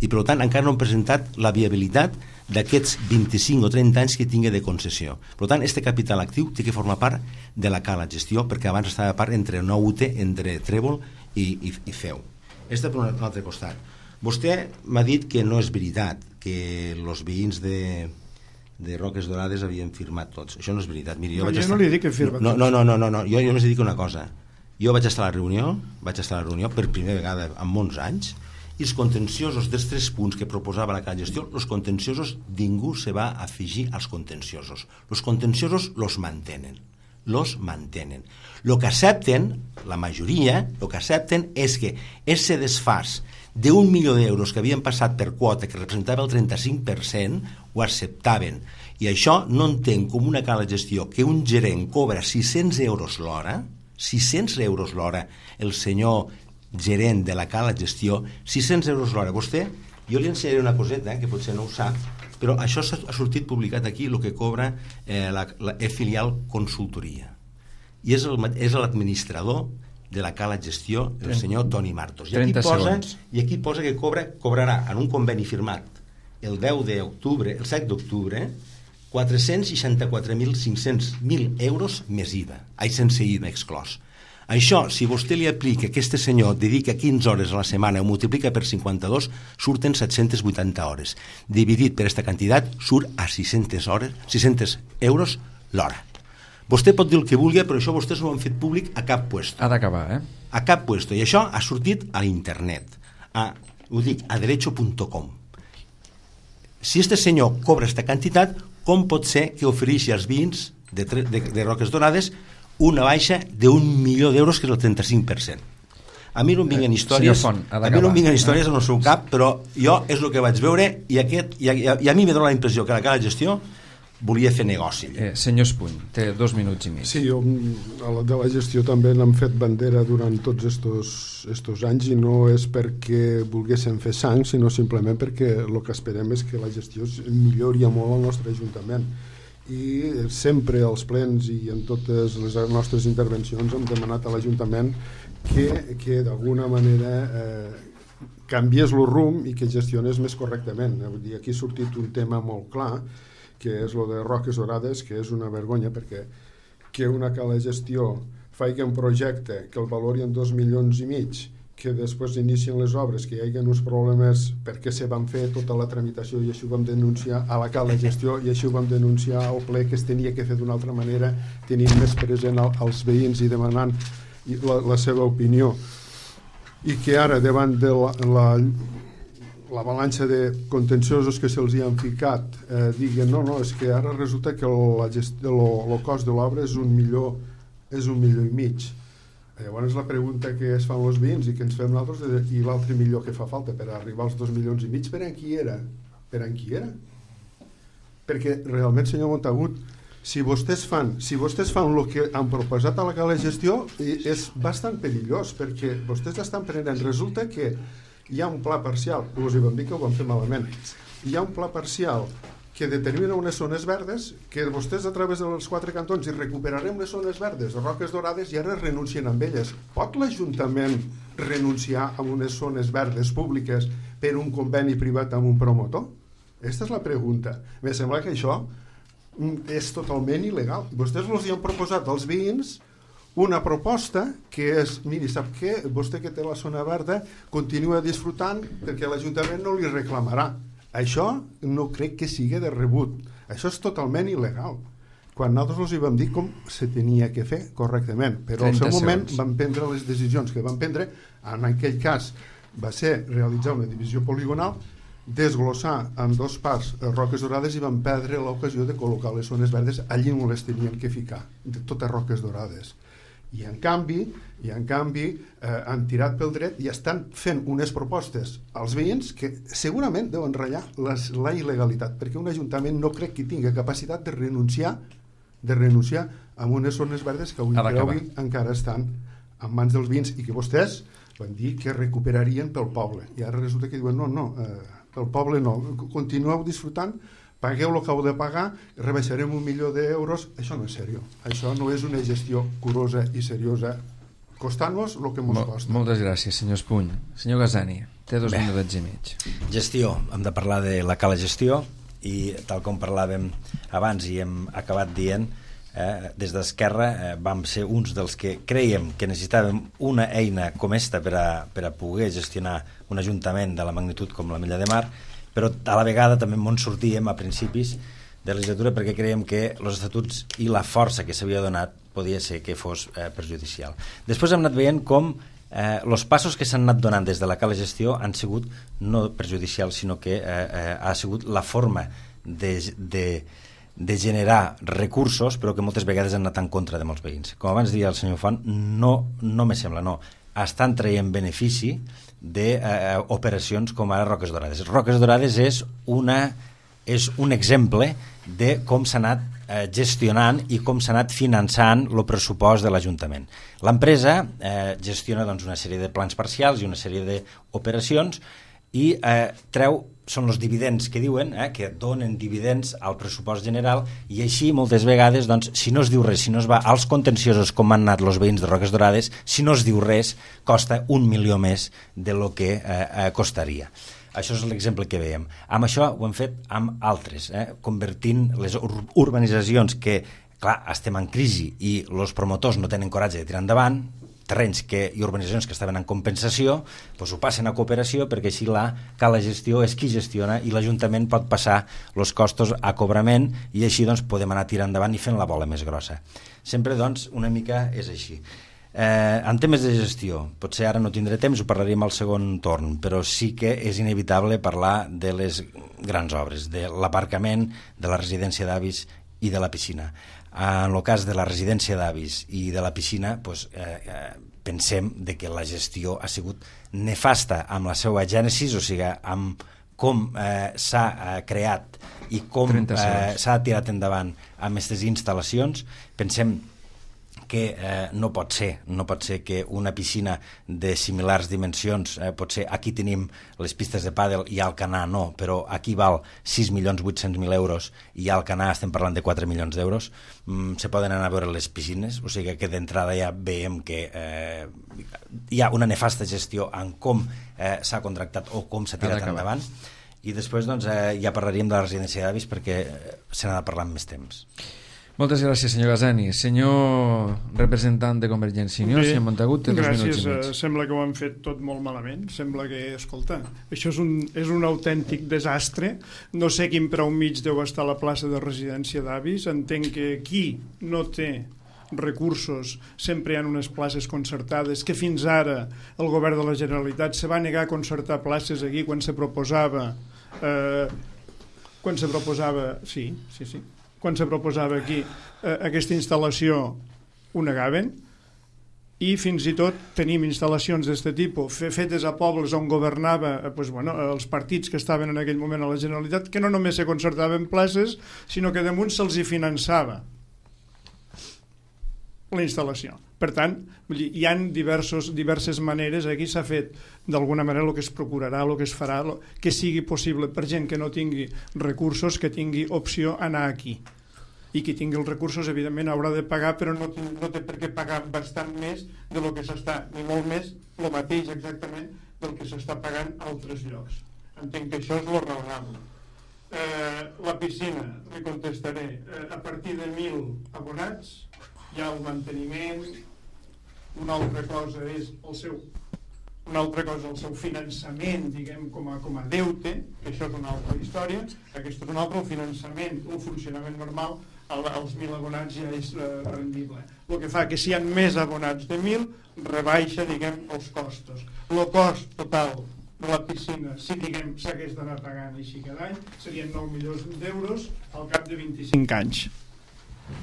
i per tant encara no han presentat la viabilitat d'aquests vint-i-cinc o trenta anys que tingui de concessió. Per tant, este capital actiu té que formar part de la Cala Gestió, perquè abans estava part entre nou U T, entre Trèvol i, i, i F E U. Este per un altre costat. Vostè m'ha dit que no és veritat, que els veïns de, de Roques Dorades havien firmat tots. Això no és veritat. Miri, jo no, vaig jo estar... no li dic que firma no, tots. no, no, no, no, no. Jo, jo només dic una cosa. Jo vaig estar a la reunió, vaig estar a la reunió per primera vegada en molts anys, i els contenciosos dels tres punts que proposava la Cala Gestió, els contenciosos, ningú se va afegir als contenciosos. Els contenciosos los mantenen. Los mantenen. Lo que accepten, la majoria, lo que accepten és que ese desfàs d'un milió d'euros que havien passat per quota, que representava el trenta-cinc per cent, ho acceptaven. I això no entenc com una Cala Gestió que un gerent cobra sis-cents euros l'hora, sis-cents euros l'hora, el senyor gerent de la Cala Gestió, sis-cents euros l'hora. Vostè, jo li ensenyaré una coseta, eh, que potser no ho sap, però això ha sortit publicat aquí, el que cobra eh, la, la e-filial consultoria. I és l'administrador de la Cala Gestió, el senyor Toni Martos. I aquí, posa, I aquí posa que cobra, cobrarà en un conveni firmat el deu d'octubre, el set d'octubre, quatre-cents seixanta-quatre mil cinc-cents euros més I V A, ai, sense I V A exclòs. Això, si vostè li aplica que aquest senyor dedica quinze hores a la setmana o multiplica per cinquanta-dos, surten set-cents vuitanta hores. Dividit per aquesta quantitat, surt a sis-centes hores, sis-cents euros l'hora. Vostè pot dir el que vulgui, però això vostès no ho han fet públic a cap puesto. Ha d'acabar, eh? A cap puesto. I això ha sortit a l'internet. A, ho dic, a derecho punt com. Si este senyor cobra aquesta quantitat, com pot ser que ofereixi als veïns de, de, de Roques Dorades una baixa d'un milió d'euros, que és el trenta-cinc per cent? A mi no em vinguen històries, Font, a mi no em vinguen històries en el seu cap, però jo és el que vaig veure i, aquest, i, a, i a mi me dona la impressió que la Cala Gestió volia fer negoci. Eh, senyor Espuny, té dos minuts i mig. Sí, jo a la de la gestió també n'hem fet bandera durant tots estos, estos anys, i no és perquè volguéssim fer sang, sinó simplement perquè el que esperem és que la gestió millori molt al nostre Ajuntament. i sempre als plens i en totes les nostres intervencions hem demanat a l'Ajuntament que, que d'alguna manera eh, canviés el rumb i que gestionés més correctament. Vull dir, aquí ha sortit un tema molt clar, que és el de Roques Dorades, que és una vergonya, perquè que una cala gestió faci un projecte que el valori en dos milions i mig, que després inicien les obres, que hi hagi uns problemes perquè se van fer tota la tramitació i això ho vam denunciar a la cala gestió i això ho vam denunciar al ple, que es tenia que fer d'una altra manera, tenint més present al, als veïns i demanant la, la seva opinió, i que ara davant de la, la, la balança de contenciosos que se'ls hi han ficat eh, diguen no, no, és que ara resulta que el cost de l'obra és un milió és un milió i mig. Llavors la pregunta que es fan els veïns i que ens fem nosaltres és, i l'altre milió que fa falta per arribar als dos milions i mig, per en qui era? Per en qui era? Perquè realment, senyor Montagut, si vostès fan si vostès fan el que han proposat a la cala de gestió és bastant perillós, perquè vostès estan prenent, resulta que hi ha un pla parcial, us hi vam dir que ho vam fer malament, hi ha un pla parcial que determina unes zones verdes, que vostès a través dels quatre cantons hi recuperarem les zones verdes, Roques Dorades, i ara renuncien amb elles. Pot l'Ajuntament renunciar a unes zones verdes públiques per un conveni privat amb un promotor? Aquesta és la pregunta. Me sembla que això és totalment il·legal. Vostès els hi han proposat als veïns una proposta que és, miri, sap què? Vostè que té la zona verda continua disfrutant perquè l'Ajuntament no li reclamarà. Això no crec que sigui de rebut. Això és totalment il·legal. Quan nosaltres els hi vam dir com se tenia que fer correctament, però al seu moment van prendre les decisions que van prendre. En aquell cas va ser realitzar una divisió poligonal, desglossar en dos parts Roques Dorades i van perdre l'ocasió de col·locar les zones verdes allí on les tenien que ficar, de totes Roques Dorades. I en canvi, i en canvi eh, han tirat pel dret i estan fent unes propostes als veïns que segurament deuen ratllar les, la il·legalitat, perquè un ajuntament no crec que tingui capacitat de renunciar de renunciar a unes zones verdes que avui, avui encara estan en mans dels veïns i que vostès van dir que recuperarien pel poble, i ara resulta que diuen no, no, eh, pel poble no, continueu disfrutant, pagueu el que heu de pagar, rebaixarem un milió d'euros. Això no és seriós. Això no és una gestió curosa i seriosa, costant-nos el que ens Mol, costa. Moltes gràcies, senyor Espuny. Senyor Gazani, té dos Bé. minutets i mig. Gestió. Hem de parlar de la cala gestió i tal com parlàvem abans i hem acabat dient, eh, des d'Esquerra eh, vam ser uns dels que creiem que necessitàvem una eina com esta per a, per a poder gestionar un ajuntament de la magnitud com la Mella de Mar, però a la vegada també ens sortíem a principis de legislatura perquè creiem que els estatuts i la força que s'havia donat podia ser que fos eh, perjudicial. Després hem anat veient com eh, els passos que s'han anat donant des de la cala gestió han sigut no perjudicials, sinó que eh, eh, ha sigut la forma de, de, de generar recursos, però que moltes vegades han anat en contra de molts veïns. Com abans deia el senyor Font, no, no me sembla, no. Estan traient benefici d'operacions eh, com ara Roques Dorades. Roques Dorades és, una, és un exemple de com s'ha anat eh, gestionant i com s'ha anat finançant el pressupost de l'Ajuntament. L'empresa eh, gestiona doncs, una sèrie de plans parcials i una sèrie d'operacions i eh, treu, són els dividends que diuen, eh, que donen dividends al pressupost general, i així moltes vegades, doncs, si no es diu res, si no es va als contenciosos com han anat els veïns de Roques Dorades, si no es diu res, costa un milió més de lo que eh, eh, costaria. Això és l'exemple que veiem. Amb això ho hem fet amb altres, eh, convertint les ur urbanitzacions que, clar, estem en crisi i els promotors no tenen coratge de tirar endavant, terrenys que, i urbanitzacions que estaven en compensació, doncs ho passen a cooperació, perquè així la cala gestió és qui gestiona i l'Ajuntament pot passar els costos a cobrament i així doncs, podem anar tirant endavant i fent la bola més grossa. Sempre doncs, una mica és així. Eh, en temes de gestió, potser ara no tindré temps, ho parlaríem al segon torn, però sí que és inevitable parlar de les grans obres, de l'aparcament, de la residència d'avis i de la piscina. En el cas de la residència d'avis i de la piscina, doncs, eh, eh, pensem de que la gestió ha sigut nefasta amb la seva gènesis, o sigui, amb com eh, s'ha eh, creat i com eh, s'ha tirat endavant amb aquestes instal·lacions. Pensem que eh, no pot ser, no pot ser que una piscina de similars dimensions, eh, pot ser aquí tenim les pistes de pàdel i a Alcanar no, però aquí val sis milions vuit-cents mil euros i a Alcanar estem parlant de quatre milions d'euros, mm, se poden anar a veure les piscines, o sigui que d'entrada ja veiem que eh, hi ha una nefasta gestió en com eh, s'ha contractat o com s'ha tirat endavant, i després doncs, eh, ja parlaríem de la residència d'avis perquè se n'ha de parlar amb més temps. Moltes gràcies, senyor Gazani. Senyor representant de Convergència i Unió, senyor Montagut, té dos minuts i mig. Gràcies, sembla que ho han fet tot molt malament. Sembla que, escolta, això és un, és un autèntic desastre. No sé quin preu mig deu estar a la plaça de residència d'avis. Entenc que qui no té recursos sempre hi ha unes places concertades, que fins ara el govern de la Generalitat se va negar a concertar places aquí quan se proposava eh, quan se proposava sí, sí, sí quan se proposava aquí eh, aquesta instal·lació ho negaven, i fins i tot tenim instal·lacions d'aquest tipus fetes a pobles on governava eh, pues, bueno, els partits que estaven en aquell moment a la Generalitat, que no només se concertaven places, sinó que damunt se'ls hi finançava la instal·lació. Per tant, hi ha diversos, diverses maneres, aquí s'ha fet d'alguna manera el que es procurarà, el que es farà, que sigui possible per gent que no tingui recursos, que tingui opció a anar aquí. I qui tingui els recursos, evidentment, haurà de pagar, però no, no té per què pagar bastant més de lo que s'està, ni molt més, el mateix exactament del que s'està pagant a altres llocs. Entenc que això és lo raonable. Eh, la piscina, li contestaré, eh, a partir de mil abonats, hi ha el manteniment, una altra cosa és el seu una altra cosa el seu finançament, diguem, com a, com a deute, que això és una altra història, aquest és un altre, el finançament, el funcionament normal, el, els mil abonats ja és eh, rendible. El que fa que si hi ha més abonats de mil, rebaixa, diguem, els costos. El cost total de la piscina, si diguem s'hagués d'anar pagant així cada any, serien nou milions d'euros al cap de vint-i-cinc anys.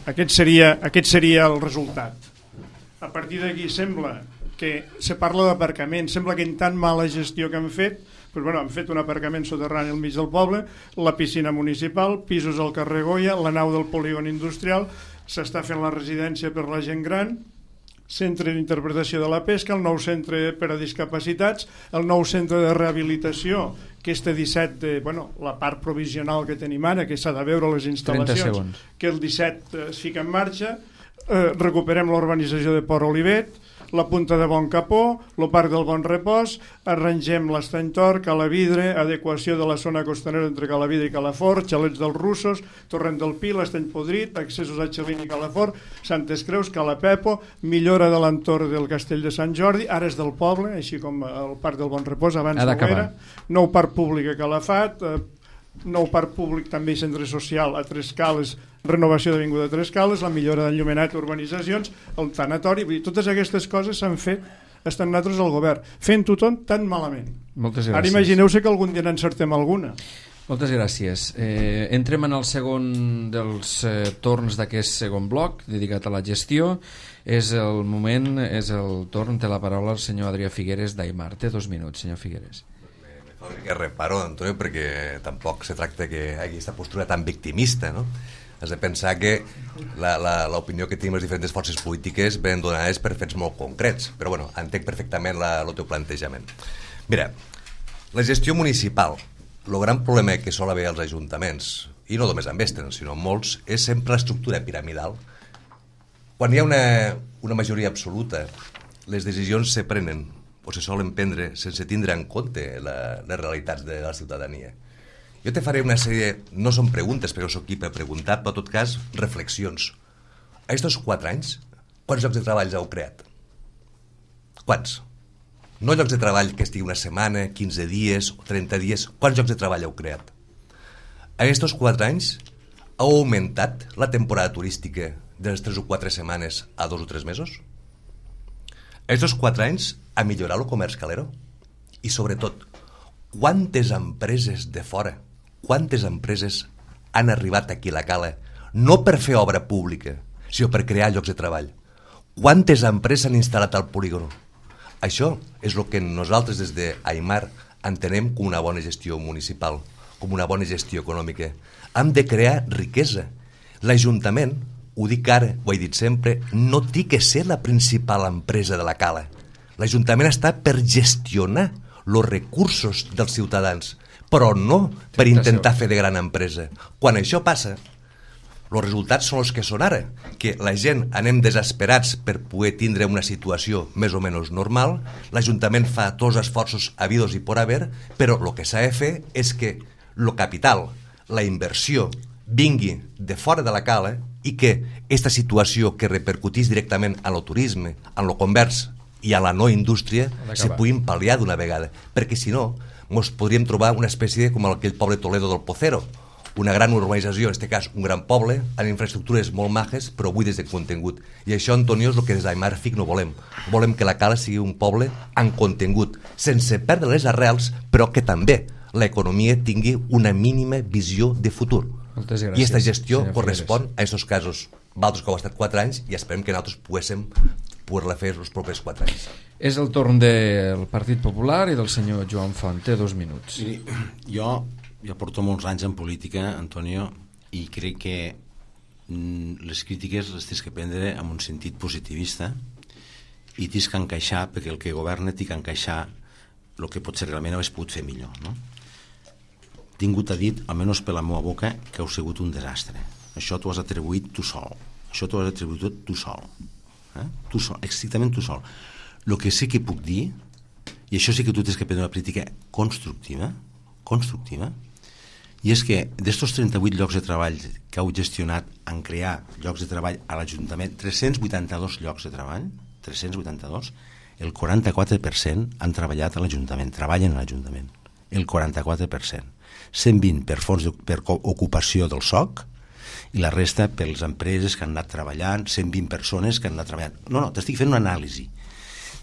Aquest seria, aquest seria el resultat. A partir d'aquí sembla que se parla d'aparcament, sembla que en tan mala gestió que han fet, doncs, bueno, han fet un aparcament soterrani al mig del poble, la piscina municipal, pisos al carrer Goya, la nau del polígon industrial, s'està fent la residència per la gent gran, centre d'interpretació de la pesca, el nou centre per a discapacitats, el nou centre de rehabilitació, que este disset, de, bueno, la part provisional que tenim ara, que s'ha de veure les instal·lacions, que el disset es fica en marxa, eh, recuperem l'urbanització de Port Olivet, la Punta de Bon Capó, el Parc del Bon Repòs, arrangem l'Estany Tor, Calavidre, adequació de la zona costanera entre Calavidre i Calafort, xalets dels russos, Torrent del Pi, l'Estany Podrit, accessos a Xalín i Calafort, Santes Creus, Calapepo, millora de l'entorn del Castell de Sant Jordi, Ares del Poble, així com el Parc del Bon Repòs, abans no era, nou parc públic a Calafat, eh, nou parc públic també centre social a Tres Cales, renovació d'Avinguda Tres Cales, la millora d'enllumenat, urbanitzacions, el tanatori, vull dir, totes aquestes coses s'han fet estan nosaltres al govern, fent-ho tot tan malament. Moltes gràcies. Ara imagineu-se que algun dia n'encertem alguna. Moltes gràcies. Eh, entrem en el segon dels eh, torns d'aquest segon bloc, dedicat a la gestió. És el moment, és el torn, té la paraula el senyor Adrià Figueres d'Aimar. Té dos minuts, senyor Figueres. Que reparo, Antonio, perquè tampoc se tracta que hi hagi aquesta postura tan victimista, no? Has de pensar que l'opinió que tenim les diferents forces polítiques venen donades per fets molt concrets, però bueno, entenc perfectament la, el teu plantejament. Mira, la gestió municipal, el gran problema que sol haver als ajuntaments, i no només amb Esten, sinó amb molts, és sempre l'estructura piramidal. Quan hi ha una, una majoria absoluta, les decisions se prenen o se solen prendre sense tindre en compte la, les realitats de la ciutadania. Jo te faré una sèrie, no són preguntes perquè soc aquí per preguntar, però en tot cas reflexions. A estos quatre anys, quants llocs de treball heu creat? Quants? No llocs de treball que estigui una setmana, quinze dies, trenta dies, quants llocs de treball heu creat? A estos quatre anys heu augmentat la temporada turística de les tres o quatre setmanes a dos o tres mesos? A estos quatre anys ha millorat el comerç calero? I sobretot, quantes empreses de fora, quantes empreses han arribat aquí a la Cala, no per fer obra pública, sinó per crear llocs de treball? Quantes empreses han instal·lat al polígon? Això és el que nosaltres des d'Aimar entenem com una bona gestió municipal, com una bona gestió econòmica. Hem de crear riquesa. L'Ajuntament ho dic ara, ho he dit sempre, no té que ser la principal empresa de la cala. L'Ajuntament està per gestionar els recursos dels ciutadans, però no per intentar fer de gran empresa. Quan això passa, els resultats són els que són ara, que la gent anem desesperats per poder tindre una situació més o menys normal, l'Ajuntament fa tots els esforços habidos i por haver, però el que s'ha de fer és que el capital, la inversió, vingui de fora de la cala i que aquesta situació que repercutís directament en el turisme, en el comerç i a la no indústria se puguin pal·liar d'una vegada, perquè si no ens podríem trobar una espècie com aquell poble Toledo del Pocero, una gran urbanització, en aquest cas un gran poble, amb infraestructures molt majes però buides de contingut. I això, Antonio, és el que des d'Aimar F I C no volem. Volem que la cala sigui un poble amb contingut, sense perdre les arrels, però que també l'economia tingui una mínima visió de futur. Moltes gràcies, i aquesta gestió correspon Figueres. a aquests casos. Vosaltres que heu estat quatre anys i esperem que nosaltres poguéssim poder-la fer els propers quatre anys. És el torn del Partit Popular i del senyor Joan Font. Té dos minuts. Miri, jo ja porto molts anys en política, Antonio, i crec que mm, les crítiques les tens que prendre amb un sentit positivista i tens que encaixar, perquè el que governa té que encaixar el que potser realment hagués pogut fer millor, no? Tingut a dit, almenys per la meva boca, que heu sigut un desastre. Això t'ho has atribuït tu sol. Això t'ho has atribuït tot tu sol. Eh? Tu sol, estrictament tu sol. El que sí que puc dir, i això sí que tu tens que prendre una crítica constructiva, constructiva, i és que d'estos trenta-vuit llocs de treball que heu gestionat en crear llocs de treball a l'Ajuntament, tres-cents vuitanta-dos llocs de treball, tres-cents vuitanta-dos, el quaranta-quatre per cent han treballat a l'Ajuntament, treballen a l'Ajuntament, el quaranta-quatre per cent. cent vint per fons de, per ocupació del S O C i la resta per les empreses que han anat treballant, cent vint persones que han anat treballant. No, no, t'estic fent una anàlisi.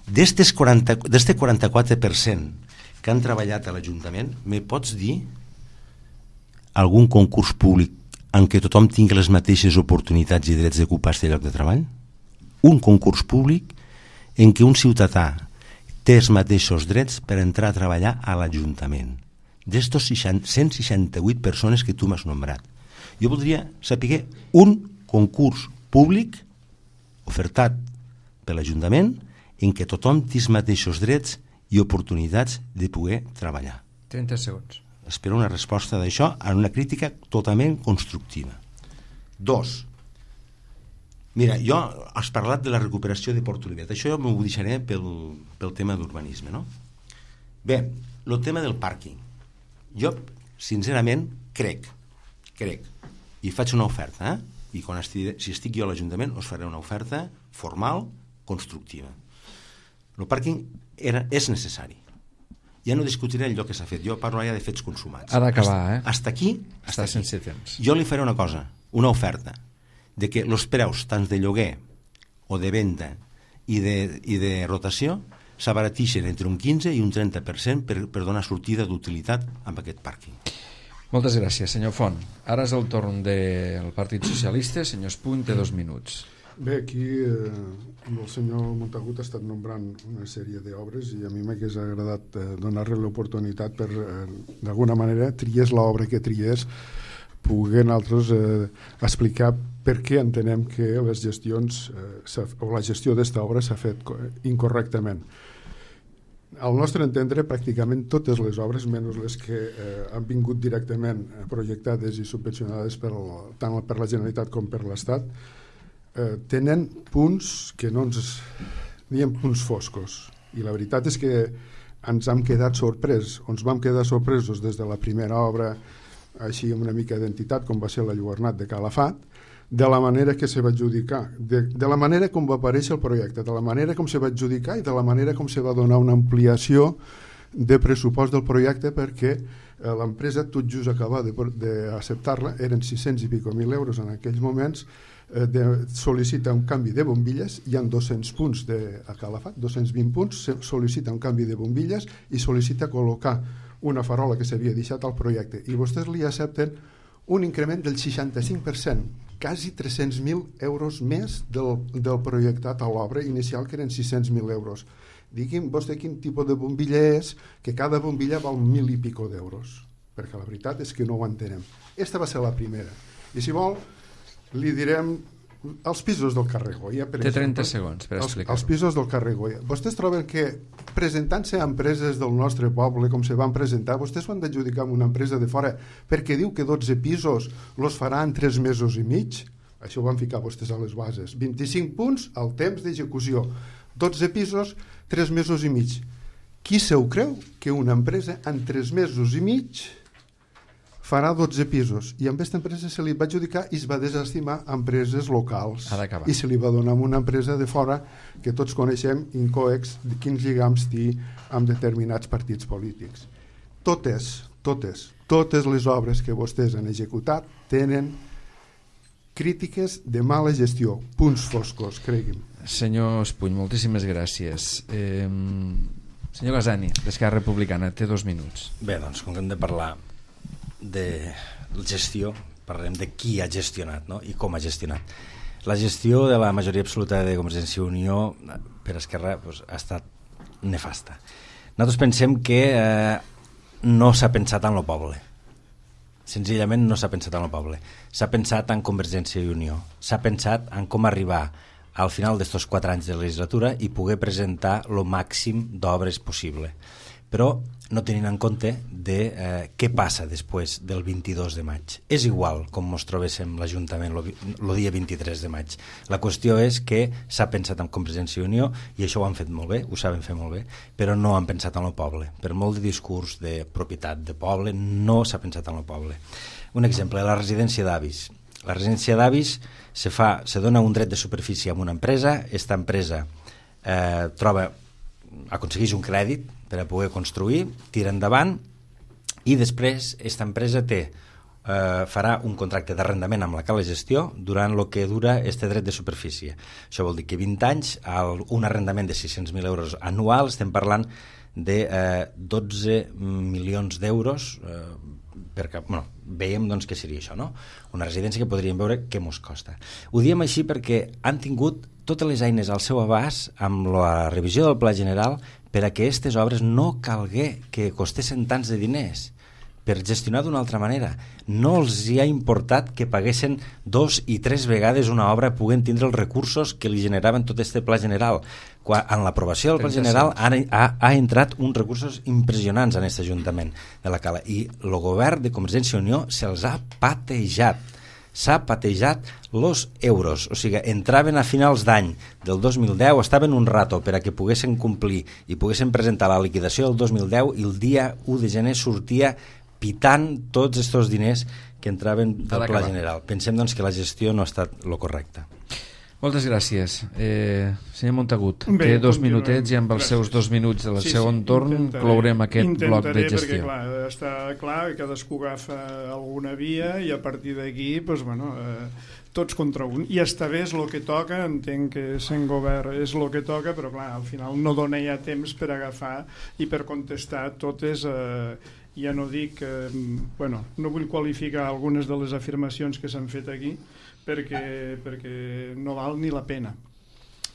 D'este quaranta-quatre per cent que han treballat a l'Ajuntament, me pots dir algun concurs públic en què tothom tingui les mateixes oportunitats i drets d'ocupar aquest lloc de treball? Un concurs públic en què un ciutadà té els mateixos drets per entrar a treballar a l'Ajuntament. D'estos cent seixanta-vuit persones que tu m'has nombrat. Jo voldria saber un concurs públic ofertat per l'Ajuntament en què tothom té els mateixos drets i oportunitats de poder treballar. trenta segons. Espero una resposta d'això en una crítica totalment constructiva. Dos. Mira, jo has parlat de la recuperació de Port Olivet. Això jo m'ho deixaré pel, pel tema d'urbanisme, no? Bé, el tema del pàrquing. Jo, sincerament, crec, crec, i faig una oferta, eh? I quan estigui, si estic jo a l'Ajuntament us faré una oferta formal, constructiva. El pàrquing era, és necessari. Ja no discutiré allò que s'ha fet, jo parlo ja de fets consumats. Ha d'acabar, eh? Hasta aquí, hasta Està aquí. sense temps. Jo li faré una cosa, una oferta, de que els preus tant de lloguer o de venda i de, i de rotació s'abaratixen entre un quinze i un trenta per cent per, per donar sortida d'utilitat amb aquest pàrquing. Moltes gràcies, senyor Font. Ara és el torn del Partit Socialista. Senyor Espuny, té dos minuts. Bé, aquí eh, el senyor Montagut ha estat nombrant una sèrie d'obres i a mi m'hagués agradat eh, donar-li l'oportunitat per, eh, d'alguna manera, triés l'obra que triés, poder nosaltres eh, explicar per què entenem que les gestions eh, o la gestió d'esta obra s'ha fet incorrectament. Al nostre entendre, pràcticament totes les obres, menys les que eh, han vingut directament projectades i subvencionades per, tant per la Generalitat com per l'Estat, eh, tenen punts que no ens diem punts foscos. I la veritat és que ens hem quedat sorpresos. Ens vam quedar sorpresos des de la primera obra, així amb una mica d'entitat, com va ser la Lluernat de Calafat, de la manera que se va adjudicar, de, de la manera com va aparèixer el projecte, de la manera com se va adjudicar i de la manera com se va donar una ampliació de pressupost del projecte, perquè eh, l'empresa tot just acaba d'acceptar-la, eren sis-cents i pico mil euros en aquells moments, eh, de, sol·licita un canvi de bombilles, hi ha dos-cents punts de, a Calafat, dos-cents vint punts, sol·licita un canvi de bombilles i sol·licita col·locar una farola que s'havia deixat al projecte, i vostès li accepten un increment del seixanta-cinc per cent, quasi tres-cents mil euros més del, del projectat a l'obra inicial, que eren sis-cents mil euros. Digui'm vostè quin tipus de bombilla és, que cada bombilla val mil i pico d'euros, perquè la veritat és que no ho entenem. Esta va ser la primera. I si vol, li direm els pisos del carrer Goya, per Té trenta exemple, segons per els, explicar-ho. els pisos del carrer Goya. Vostès troben que presentant-se a empreses del nostre poble, com se van presentar, vostès van adjudicar amb una empresa de fora perquè diu que dotze pisos los farà en tres mesos i mig? Això ho van ficar vostès a les bases. vint-i-cinc punts al temps d'execució. dotze pisos, tres mesos i mig. Qui se ho creu que una empresa en tres mesos i mig farà dotze pisos? I amb aquesta empresa se li va adjudicar i es va desestimar a empreses locals. Ha d'acabar. I se li va donar a una empresa de fora que tots coneixem, Incoex, de quins lligams té amb determinats partits polítics. Totes, totes, totes les obres que vostès han executat tenen crítiques de mala gestió, punts foscos, cregui'm. Senyor Espuny, moltíssimes gràcies. Eh, senyor Gazani, d'Esquerra Republicana, té dos minuts. Bé, doncs, com que hem de parlar de gestió, parlem de qui ha gestionat, no? I com ha gestionat. La gestió de la majoria absoluta de Convergència i Unió per Esquerra doncs, ha estat nefasta. Nosaltres pensem que eh, no s'ha pensat en el poble. Senzillament no s'ha pensat en el poble. S'ha pensat en Convergència i Unió. S'ha pensat en com arribar al final d'estos quatre anys de legislatura i poder presentar el màxim d'obres possible. Però no tenint en compte de eh, què passa després del vint-i-dos de maig. És igual com ens trobéssim l'Ajuntament el dia vint-i-tres de maig. La qüestió és que s'ha pensat en Convergència i Unió i això ho han fet molt bé, ho saben fer molt bé, però no han pensat en el poble. Per molt de discurs de propietat de poble, no s'ha pensat en el poble. Un exemple, la residència d'avis. La residència d'avis se fa, se dona un dret de superfície a una empresa, aquesta empresa eh, troba, aconsegueix un crèdit per a poder construir, tira endavant i després aquesta empresa té, eh, farà un contracte d'arrendament amb la cala gestió durant el que dura este dret de superfície. Això vol dir que vint anys, al, un arrendament de sis-cents mil euros anual, estem parlant de eh, dotze milions d'euros eh, perquè, bueno, veiem doncs què seria això, no? Una residència que podríem veure què mos costa. Ho diem així perquè han tingut totes les eines al seu abast amb la revisió del Pla General per a que aquestes obres no calgué que costessin tants de diners, per gestionar d'una altra manera. No els hi ha importat que paguessin dos i tres vegades una obra puguent tindre els recursos que li generaven tot este Pla General. Quan, en l'aprovació del Pla General ha, ha, ha entrat uns recursos impressionants en aquest Ajuntament de la Cala i el govern de Convergència i Unió se'ls ha patejat. S'ha patejat los euros, o sigui, entraven a finals d'any del dos mil deu, estaven un rato per a que poguessin complir i poguessin presentar la liquidació del dos mil deu i el dia u de gener sortia pitant tots aquests diners que entraven del Pla General. Pensem doncs que la gestió no ha estat el correcte. Moltes gràcies. Eh, senyor Montagut, Bé, té dos continuem. minutets i amb els Gràcies. seus dos minuts del Sí, segon sí, torn intentaré, clourem aquest bloc de intentaré gestió. perquè, clar, està clar que cadascú agafa alguna via i a partir d'aquí, doncs, bueno, eh, tots contra un. I està bé, és el que toca, entenc que sent govern és el que toca, però clar, al final no dona ja temps per agafar i per contestar totes... Eh, ja no dic, eh, bueno, no vull qualificar algunes de les afirmacions que s'han fet aquí perquè, perquè no val ni la pena.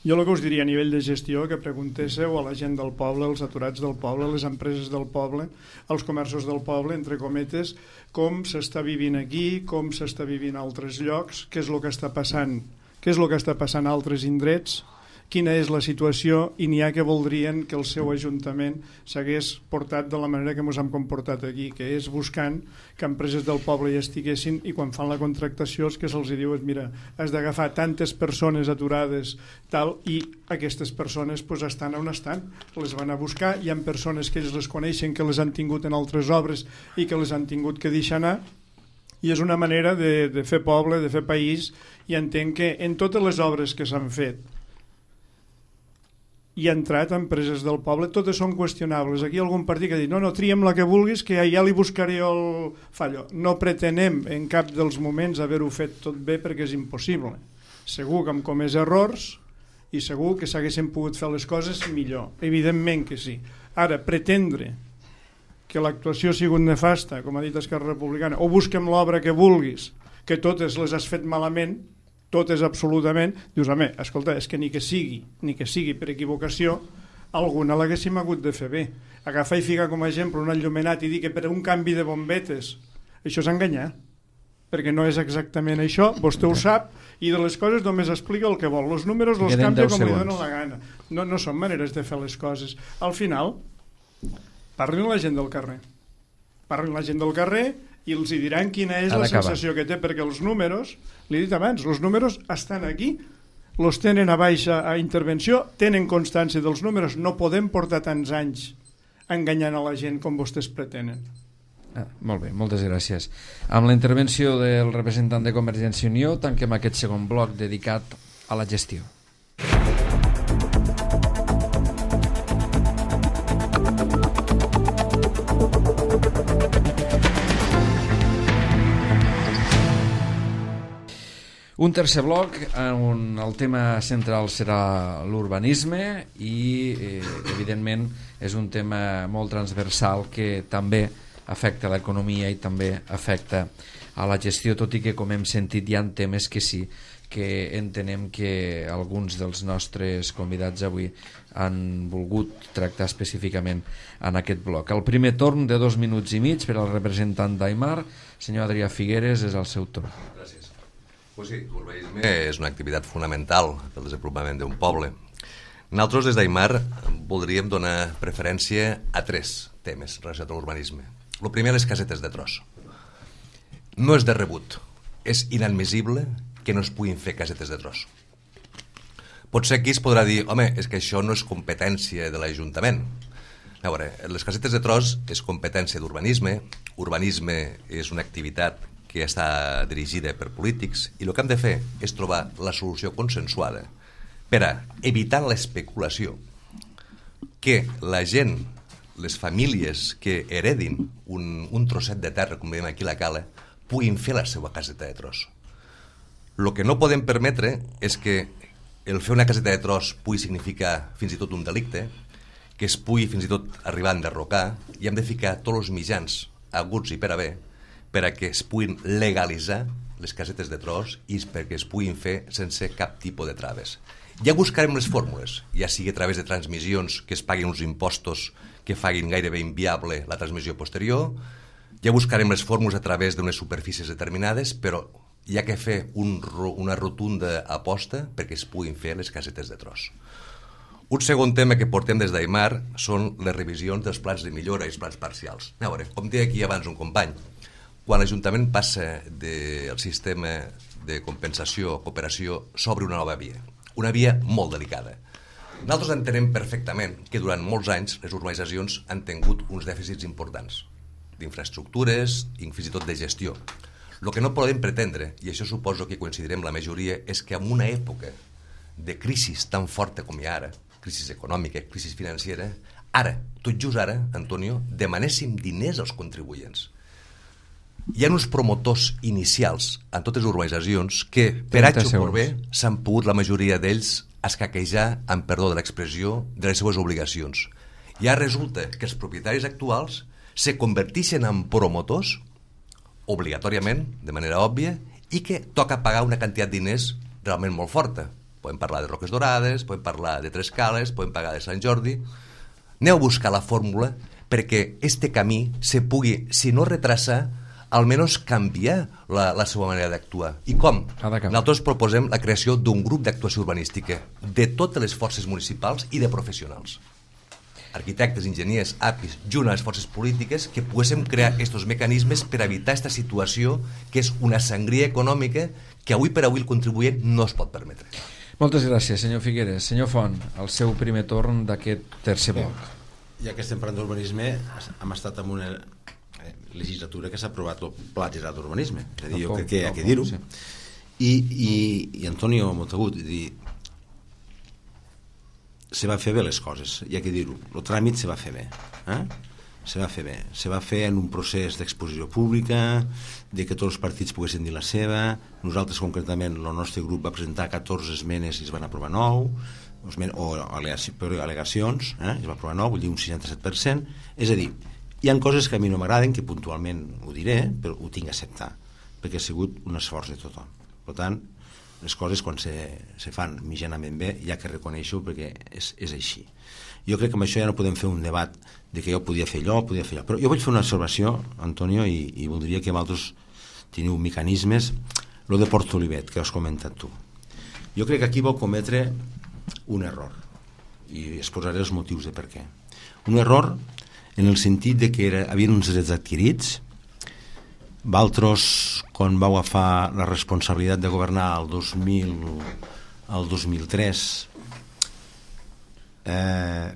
Jo el que us diria a nivell de gestió, que preguntéssiu a la gent del poble, als aturats del poble, a les empreses del poble, als comerços del poble, entre cometes, com s'està vivint aquí, com s'està vivint a altres llocs, què és el que està passant, què és el que està passant a altres indrets, quina és la situació i n'hi ha que voldrien que el seu ajuntament s'hagués portat de la manera que ens hem comportat aquí, que és buscant que empreses del poble hi estiguessin i quan fan la contractació el que se'ls diu és mira, has d'agafar tantes persones aturades tal i aquestes persones pues, estan on estan, les van a buscar, hi ha persones que ells les coneixen que les han tingut en altres obres i que les han tingut que deixar anar i és una manera de, de fer poble, de fer país i entenc que en totes les obres que s'han fet i ha entrat a empreses del poble, totes són qüestionables. Aquí hi ha algun partit que ha dit, no, no, triem la que vulguis, que ja, ja li buscaré el fallo. No pretenem en cap dels moments haver-ho fet tot bé perquè és impossible. Segur que hem comès errors i segur que s'haguessin pogut fer les coses millor. Evidentment que sí. Ara, pretendre que l'actuació ha sigut nefasta, com ha dit Esquerra Republicana, o busquem l'obra que vulguis, que totes les has fet malament, totes absolutament, dius, home, escolta, és que ni que sigui, ni que sigui per equivocació, alguna l'haguéssim hagut de fer bé. Agafar i ficar com a exemple un enllumenat i dir que per un canvi de bombetes, això és enganyar. perquè no és exactament això, vostè ho sap, i de les coses només explica el que vol. Els números els Queden canvia deu com li segons. dona la gana. No, no són maneres de fer les coses. Al final, parlin la gent del carrer. Parlin la gent del carrer i els hi diran quina és Ha la d'acabar. sensació que té, perquè els números, l'he dit abans, els números estan aquí, els tenen a baixa a intervenció, tenen constància dels números, no podem portar tants anys enganyant a la gent com vostès pretenen. Ah, molt bé, moltes gràcies. Amb la intervenció del representant de Convergència i Unió tanquem aquest segon bloc dedicat a la gestió. Un tercer bloc on el tema central serà l'urbanisme i eh, evidentment és un tema molt transversal que també afecta l'economia i també afecta a la gestió, tot i que, com hem sentit, hi ha temes que sí, que entenem que alguns dels nostres convidats avui han volgut tractar específicament en aquest bloc. El primer torn de dos minuts i mig per al representant d'Aimar, senyor Adrià Figueres, és el seu torn. Gràcies. Pues sí, l'urbanisme és una activitat fonamental pel desenvolupament d'un poble. Nosaltres, des d'Aimar, voldríem donar preferència a tres temes relacionats amb l'urbanisme. El primer, les casetes de tros. No és de rebut, és inadmissible que no es puguin fer casetes de tros. Potser aquí es podrà dir, home, és que això no és competència de l'Ajuntament. A veure, les casetes de tros és competència d'urbanisme, urbanisme és una activitat que està dirigida per polítics i el que hem de fer és trobar la solució consensuada per a evitar l'especulació, que la gent, les famílies que heredin un, un trosset de terra, com diem aquí a la Cala, puguin fer la seva caseta de tros. El que no podem permetre és que el fer una caseta de tros pugui significar fins i tot un delicte, que es pugui fins i tot arribar a enderrocar, i hem de ficar tots els mitjans aguts i per haver per a que es puguin legalitzar les casetes de tros i perquè es puguin fer sense cap tipus de traves. Ja buscarem les fórmules, ja sigui a través de transmissions que es paguin uns impostos que facin gairebé inviable la transmissió posterior, ja buscarem les fórmules a través d'unes superfícies determinades, però hi ha que fer un, una rotunda aposta perquè es puguin fer les casetes de tros. Un segon tema que portem des d'Aimar són les revisions dels plans de millora i els plans parcials. A veure, com deia aquí abans un company, quan l'Ajuntament passa del sistema de compensació o cooperació s'obre una nova via, una via molt delicada. Nosaltres entenem perfectament que durant molts anys les urbanitzacions han tingut uns dèficits importants d'infraestructures i fins i tot de gestió. El que no podem pretendre, i això suposo que coincidirem la majoria, és que en una època de crisi tan forta com hi ha ara, crisi econòmica, crisi financera, ara, tot just ara, Antonio, demanéssim diners als contribuents. Hi ha uns promotors inicials en totes les urbanitzacions que, per H o per B, s'han pogut, la majoria d'ells, escaquejar, amb perdó de l'expressió, de les seues obligacions. I ara resulta que els propietaris actuals se converteixen en promotors obligatòriament, de manera òbvia, i que toca pagar una quantitat de diners realment molt forta. Podem parlar de Roques Dorades, podem parlar de Tres Cales, podem parlar de Sant Jordi. Aneu a buscar la fórmula perquè este camí se pugui, si no retrasar, almenys canviar la, la seva manera d'actuar. I com? Nosaltres proposem la creació d'un grup d'actuació urbanística de totes les forces municipals i de professionals. Arquitectes, enginyers, A P Is, junt a les forces polítiques, que poguéssim crear aquests mecanismes per evitar aquesta situació que és una sangria econòmica que avui per avui el contribuent no es pot permetre. Moltes gràcies, senyor Figueres. Senyor Font, el seu primer torn d'aquest tercer bloc. Ja que estem parlant d'urbanisme, hem estat en una legislatura que s'ha aprovat el Pla General d'Urbanisme. És a dir, jo crec que hi ha que dir-ho. I, i, i Antonio Montagut, dir, se va fer bé les coses, hi ha que dir-ho. El tràmit se va fer bé. Eh? Se va fer bé. Se va fer en un procés d'exposició pública, de que tots els partits poguessin dir la seva. Nosaltres, concretament, el nostre grup va presentar catorze esmenes i es van aprovar nou, o al·legacions, eh? es va aprovar nou, vull dir un seixanta-set per cent. És a dir, hi ha coses que a mi no m'agraden, que puntualment ho diré, però ho tinc a acceptar, perquè ha sigut un esforç de tothom. Per tant, les coses quan se, se fan mitjanament bé hi ha que reconèixer-ho perquè és, és així. Jo crec que amb això ja no podem fer un debat de que jo podia fer allò, podia fer allò. Però jo vull fer una observació, Antonio, i, i voldria que vosaltres teniu mecanismes. Lo de Port Olivet, que has comentat tu. Jo crec que aquí vau cometre un error, i exposaré els motius de per què. Un error en el sentit de que era, havien uns drets adquirits. Valtros, quan vau agafar la responsabilitat de governar el dos mil, el dos mil tres, eh,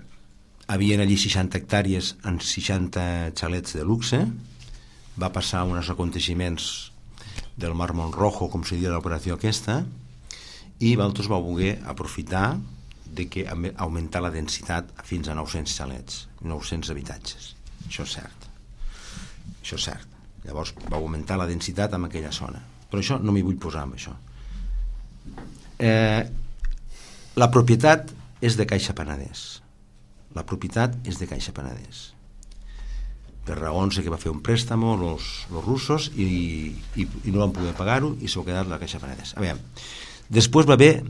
havien allí seixanta hectàrees en seixanta xalets de luxe. Va passar uns aconteixements del Mar Montrojo, com se diu l'operació aquesta, i Valtros va voler aprofitar de que augmentar la densitat fins a nou-cents xalets, nou-cents habitatges. Això és cert. Això és cert. Llavors va augmentar la densitat en aquella zona. Però això no m'hi vull posar amb això. Eh, la propietat és de Caixa Penedès. La propietat és de Caixa Penedès. Per raons que va fer un préstec els russos i, i, i no van poder pagar-ho i s'ho ha quedat la Caixa Penedès. A veure, després va haver,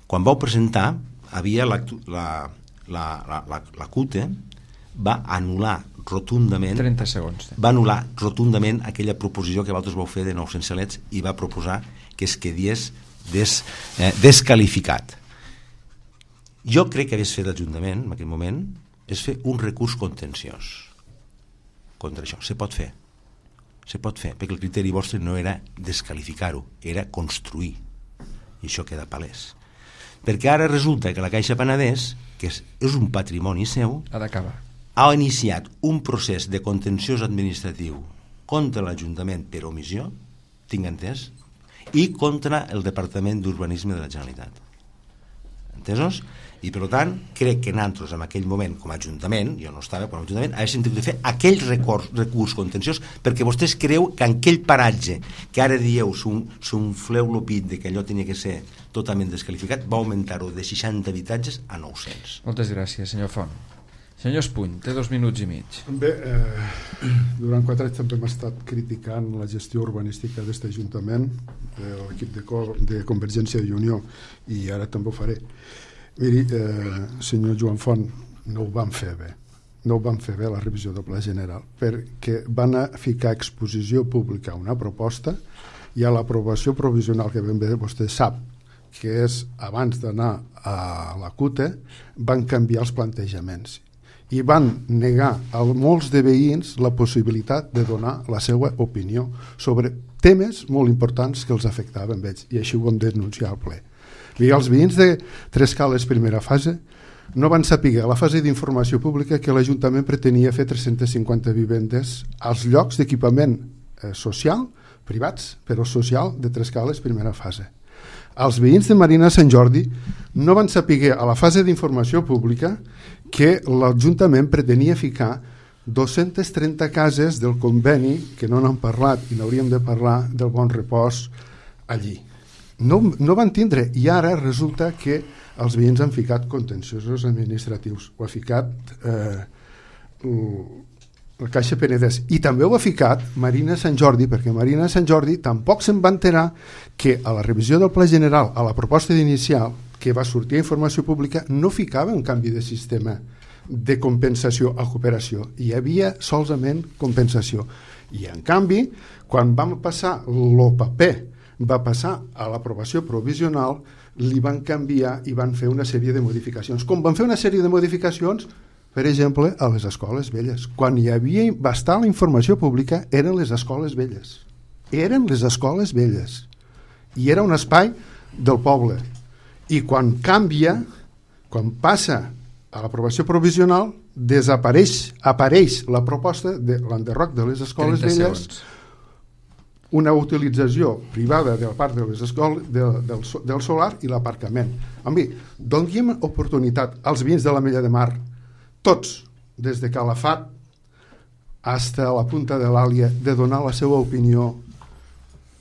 quan vau presentar, havia la, la, la, la, la, la C U T E va anul·lar rotundament trenta segons. Va anul·lar rotundament aquella proposició que vosaltres vau fer de nou-cents xalets i va proposar que es quedies des, eh, descalificat. Jo crec que hagués fet l'Ajuntament en aquell moment és fer un recurs contenciós contra això. Se pot fer. Se pot fer, perquè el criteri vostre no era descalificar-ho, era construir. I això queda palès. Perquè ara resulta que la Caixa Penedès, que és, és un patrimoni seu, ha d'acabar. Ha iniciat un procés de contenciós administratiu contra l'Ajuntament per omissió, tinc entès, i contra el Departament d'Urbanisme de la Generalitat. Entesos? I per tant crec que nosaltres en aquell moment com a Ajuntament, jo no estava com a Ajuntament, haguéssim de fer aquell recurs, recurs contenciós perquè vostès creu que en aquell paratge que ara dieu s'unfleu l'opit de que allò tenia que ser totalment descalificat, va augmentar-ho de seixanta habitatges a nou-cents. Moltes gràcies, senyor Font. Senyor Espuny, té dos minuts i mig. Bé, eh, durant quatre anys també hem estat criticant la gestió urbanística d'aquest Ajuntament, de l'equip de, de Convergència i Unió, i ara també ho faré. Miri, eh, senyor Joan Font, no ho van fer bé. No ho van fer bé la revisió del Pla General, perquè van a ficar a exposició pública una proposta i a l'aprovació provisional, que ben bé vostè sap, que és abans d'anar a la C U T E, van canviar els plantejaments i van negar a molts de veïns la possibilitat de donar la seva opinió sobre temes molt importants que els afectaven ells, i així ho vam denunciar al ple. I els veïns de Trescales primera fase no van saber a la fase d'informació pública que l'Ajuntament pretenia fer tres-centes cinquanta vivendes als llocs d'equipament eh, social, privats, però social, de Trescales primera fase. Els veïns de Marina Sant Jordi no van saber a la fase d'informació pública que l'Ajuntament pretenia ficar dues-centes trenta cases del conveni, que no n'han parlat i n'hauríem de parlar, del Bon Repòs allí. No, no van tindre, i ara resulta que els veïns han ficat contenciosos administratius, ho ha ficat eh, la Caixa Penedès, i també ho ha ficat Marina Sant Jordi, perquè Marina Sant Jordi tampoc se'n va enterar que a la revisió del Pla General, a la proposta d'inicial que va sortir a informació pública, no ficava un canvi de sistema de compensació a cooperació, hi havia solament compensació, i en canvi quan vam passar el paper va passar a l'aprovació provisional, li van canviar i van fer una sèrie de modificacions. Com van fer una sèrie de modificacions, per exemple, a les escoles velles. Quan hi havia va estar la informació pública, eren les escoles velles. Eren les escoles velles. I era un espai del poble. I quan canvia, quan passa a l'aprovació provisional, desapareix, apareix la proposta de l'enderroc de les escoles velles, segons. Una utilització privada de la part de les escoles, de, del, del solar i l'aparcament. A mi, donem oportunitat als veïns de l'Ametlla de Mar, tots, des de Calafat fins a la punta de l'Àlia, de donar la seva opinió,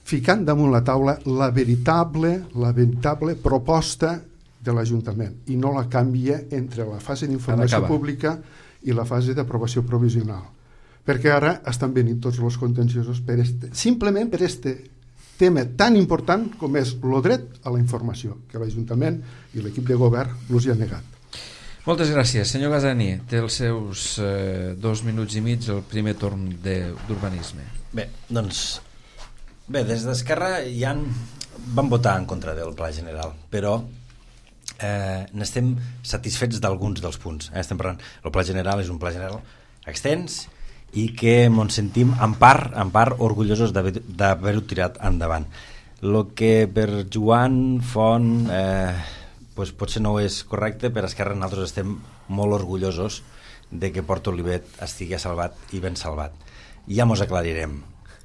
ficant damunt la taula la veritable, la veritable proposta de l'Ajuntament, i no la canvia entre la fase d'informació pública i la fase d'aprovació provisional. Perquè ara estan venint tots els contenciosos per este, simplement per este tema tan important com és el dret a la informació, que l'Ajuntament i l'equip de govern els hi ha negat. Moltes gràcies. Senyor Gazzani, té els seus eh, dos minuts i mig el primer torn d'urbanisme. Bé, doncs Bé, des d'Esquerra ja han, van votar en contra del Pla General, però eh, n'estem satisfets d'alguns dels punts. Eh? Estem parlant, el Pla General és un Pla General extens i que ens sentim en part, en part orgullosos d'haver-ho tirat endavant. El que per Joan Font eh, pues potser no és correcte, per Esquerra nosaltres estem molt orgullosos de que Port Olivet estigui salvat i ben salvat. Ja mos aclarirem,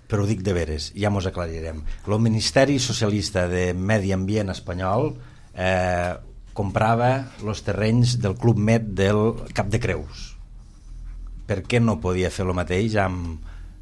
però ho dic de veres, ja mos aclarirem. El Ministeri Socialista de Medi Ambient espanyol eh, comprava els terrenys del Club Med del Cap de Creus. Per què no podia fer el mateix amb,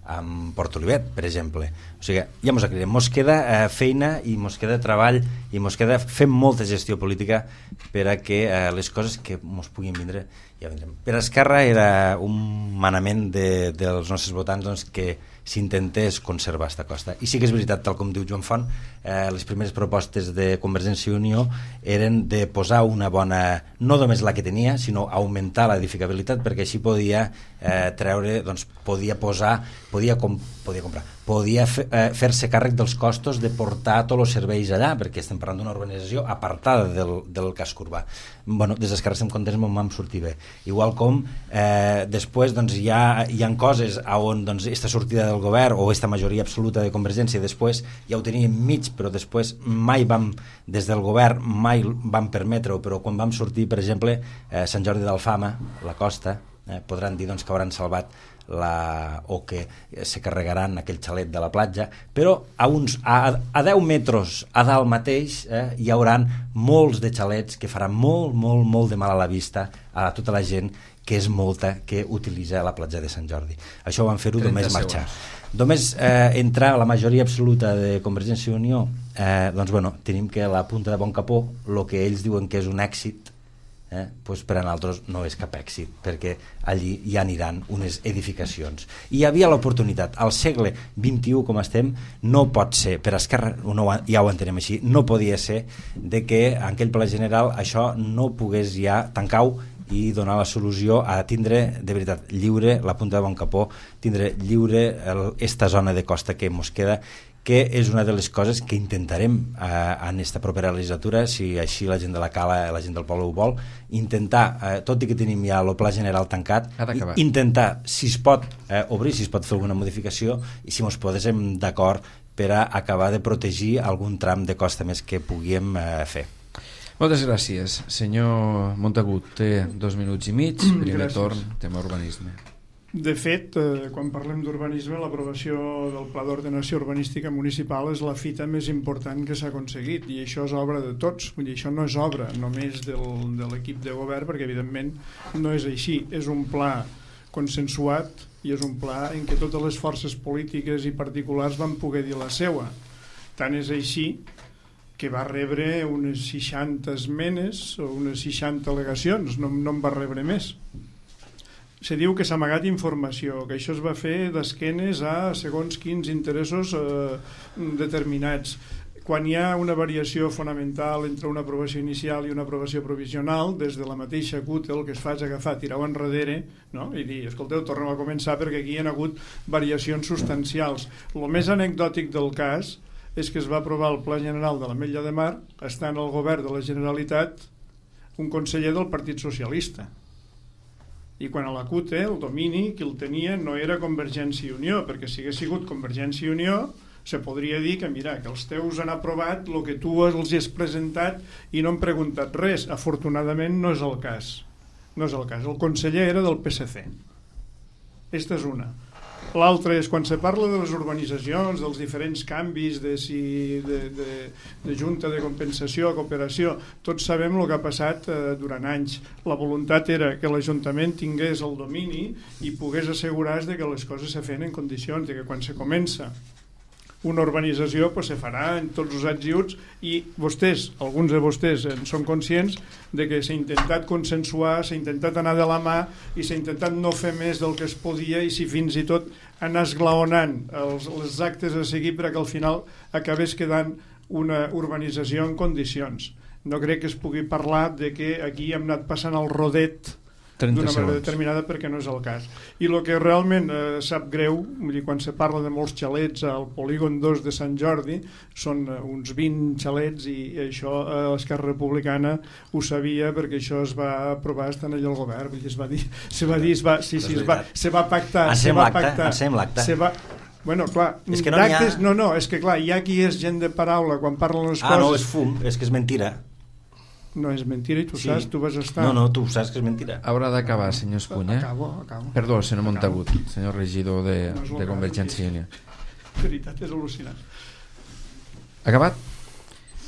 amb Port Olivet, per exemple? O sigui, ja mos aclarirem. Mos queda eh, feina i mos queda treball i mos queda fer molta gestió política per a que eh, les coses que mos puguin vindre ja vindrem. Per Esquerra era un manament de, dels nostres votants doncs, que s'intentés conservar aquesta costa. I sí que és veritat, tal com diu Joan Font, eh, les primeres propostes de Convergència i Unió eren de posar una bona, no només la que tenia, sinó augmentar l'edificabilitat, perquè així podia eh, treure, doncs podia posar, podia, com, podia comprar, podia fe, eh, fer-se càrrec dels costos de portar tots els serveis allà, perquè estem parlant d'una urbanització apartada del, del casc urbà. Bueno, des d'Esquerra estem contents, m'ho vam sortir bé. Igual com eh, després doncs, hi, ha, hi ha coses on doncs, esta sortida del govern o esta majoria absoluta de Convergència després ja ho teníem mig, però després mai vam, des del govern mai vam permetre-ho, però quan vam sortir, per exemple, eh, Sant Jordi d'Alfama, la costa, eh, podran dir doncs, que hauran salvat la, o que se carregaran aquell xalet de la platja, però a, uns, a, a deu metres a dalt mateix eh, hi hauran molts de xalets que faran molt, molt, molt de mal a la vista a tota la gent que és molta que utilitza la platja de Sant Jordi. Això ho van fer-ho només marxar. Només eh, entrar a la majoria absoluta de Convergència i Unió, eh, doncs bueno, tenim que la punta de Bon Capó, el que ells diuen que és un èxit, Eh, pues per a nosaltres no és cap èxit, perquè allí ja aniran unes edificacions. I hi havia l'oportunitat. Al segle vint-i-u, com estem, no pot ser, per Esquerra no, ja ho entenem així, no podia ser de que en aquell pla general això no pogués ja tancar-ho i donar la solució a tindre de veritat lliure la punta de Bon Capó, tindre lliure el, esta zona de costa que ens queda, que és una de les coses que intentarem eh, en esta propera legislatura, si així la gent de la Cala, la gent del poble ho vol, intentar, eh, tot i que tenim ja el pla general tancat, intentar, si es pot eh, obrir, si es pot fer alguna modificació i si ens posem d'acord per a acabar de protegir algun tram de costa més que puguem eh, fer. Moltes gràcies. Senyor Montagut, té dos minuts i mig, primer gràcies. Torn, tema urbanisme. De fet, eh, quan parlem d'urbanisme, l'aprovació del Pla d'Ordenació Urbanística Municipal és la fita més important que s'ha aconseguit, i això és obra de tots. Vull dir, això no és obra només del, de l'equip de govern, perquè evidentment no és així. És un pla consensuat i és un pla en què totes les forces polítiques i particulars van poder dir la seua. Tant és així que va rebre unes seixanta esmenes o unes seixanta al·legacions, no, no en va rebre més. Se diu que s'ha amagat informació, que això es va fer d'esquenes a segons quins interessos eh, determinats. Quan hi ha una variació fonamental entre una aprovació inicial i una aprovació provisional, des de la mateixa C U T el que es fa és agafar, tirar-ho enrere, no? I dir, escolteu, tornem a començar perquè aquí hi ha hagut variacions substancials. El més anecdòtic del cas és que es va aprovar el Pla General de l'Ametlla de Mar, estant al govern de la Generalitat un conseller del Partit Socialista. I quan a la C U T el domini qui el tenia no era Convergència i Unió, perquè si hagués sigut Convergència i Unió se podria dir que mira, que els teus han aprovat el que tu els has presentat i no han preguntat res. Afortunadament no és el cas. No és el cas. El conseller era del P S C. Esta és una. L'altre és quan se parla de les urbanitzacions, dels diferents canvis de, si, de, de, de junta de compensació a cooperació, tots sabem el que ha passat eh, durant anys. La voluntat era que l'Ajuntament tingués el domini i pogués assegurar-se de que les coses se feien en condicions, de que quan se comença una urbanització pues, se farà en tots els ets i uts, i vostès, alguns de vostès en són conscients de que s'ha intentat consensuar, s'ha intentat anar de la mà i s'ha intentat no fer més del que es podia, i si fins i tot anar esglaonant els, els actes a seguir perquè al final acabés quedant una urbanització en condicions. No crec que es pugui parlar de que aquí hem anat passant el rodet d'una manera determinada, perquè no és el cas. I el que realment eh, sap greu, vull dir, quan se parla de molts xalets al polígon dos de Sant Jordi, són eh, uns vint xalets, i això eh, l'Esquerra Republicana ho sabia, perquè això es va aprovar estant allà al govern, vull dir, es va dir, se va dir, es va, sí, sí, es va, se va pactar, se va pactar, se va... Bueno, clar, és que no, ha... no, no, és que clar, hi ha qui és gent de paraula quan parlen les ah, coses... Ah, no, és fum, és que és mentira. No és mentira i tu sí. saps, tu vas estar... No, no, tu saps que és mentira. Haurà d'acabar, senyor Espuny, eh? Acabo, acabo. Perdó, senyor Montagut, senyor regidor de, no de Convergència i Unió. La veritat és al·lucinant. Acabat?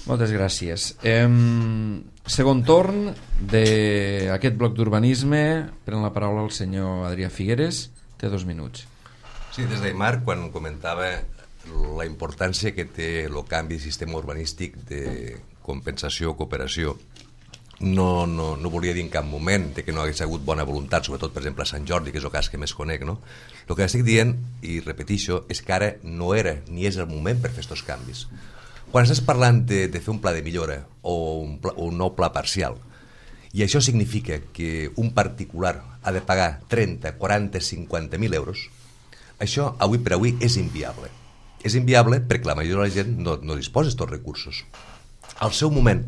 Moltes gràcies. Em... Segon torn d'aquest bloc d'urbanisme. Pren la paraula el senyor Adrià Figueres. Té dos minuts. Sí, des d'Aimar, quan comentava la importància que té el canvi de sistema urbanístic de compensació o cooperació, no, no, no volia dir en cap moment de que no hagués hagut bona voluntat, sobretot, per exemple, a Sant Jordi, que és el cas que més conec, no? El que estic dient, i repetixo, és que ara no era ni és el moment per fer aquests canvis. Quan estàs parlant de, de fer un pla de millora o un, pla, un nou pla parcial, i això significa que un particular ha de pagar trenta, quaranta, cinquanta mil euros, això avui per avui és inviable. És inviable perquè la majoria de la gent no, no disposa d'aquests recursos. Al seu moment,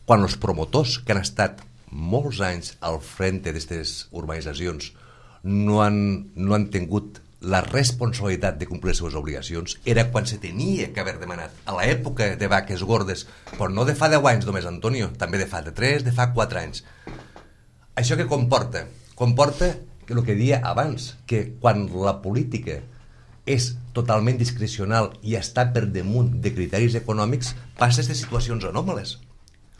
quan els promotors que han estat molts anys al frente d'aquestes urbanitzacions no han, no han tingut la responsabilitat de complir les seves obligacions, era quan se tenia que haver demanat a l'època de vaques gordes, però no de fa deu anys només, Antonio, també de fa de tres, de fa quatre anys. Això què comporta? Comporta que el que deia abans, que quan la política és totalment discrecional i està per damunt de criteris econòmics, passa aquestes situacions anòmales.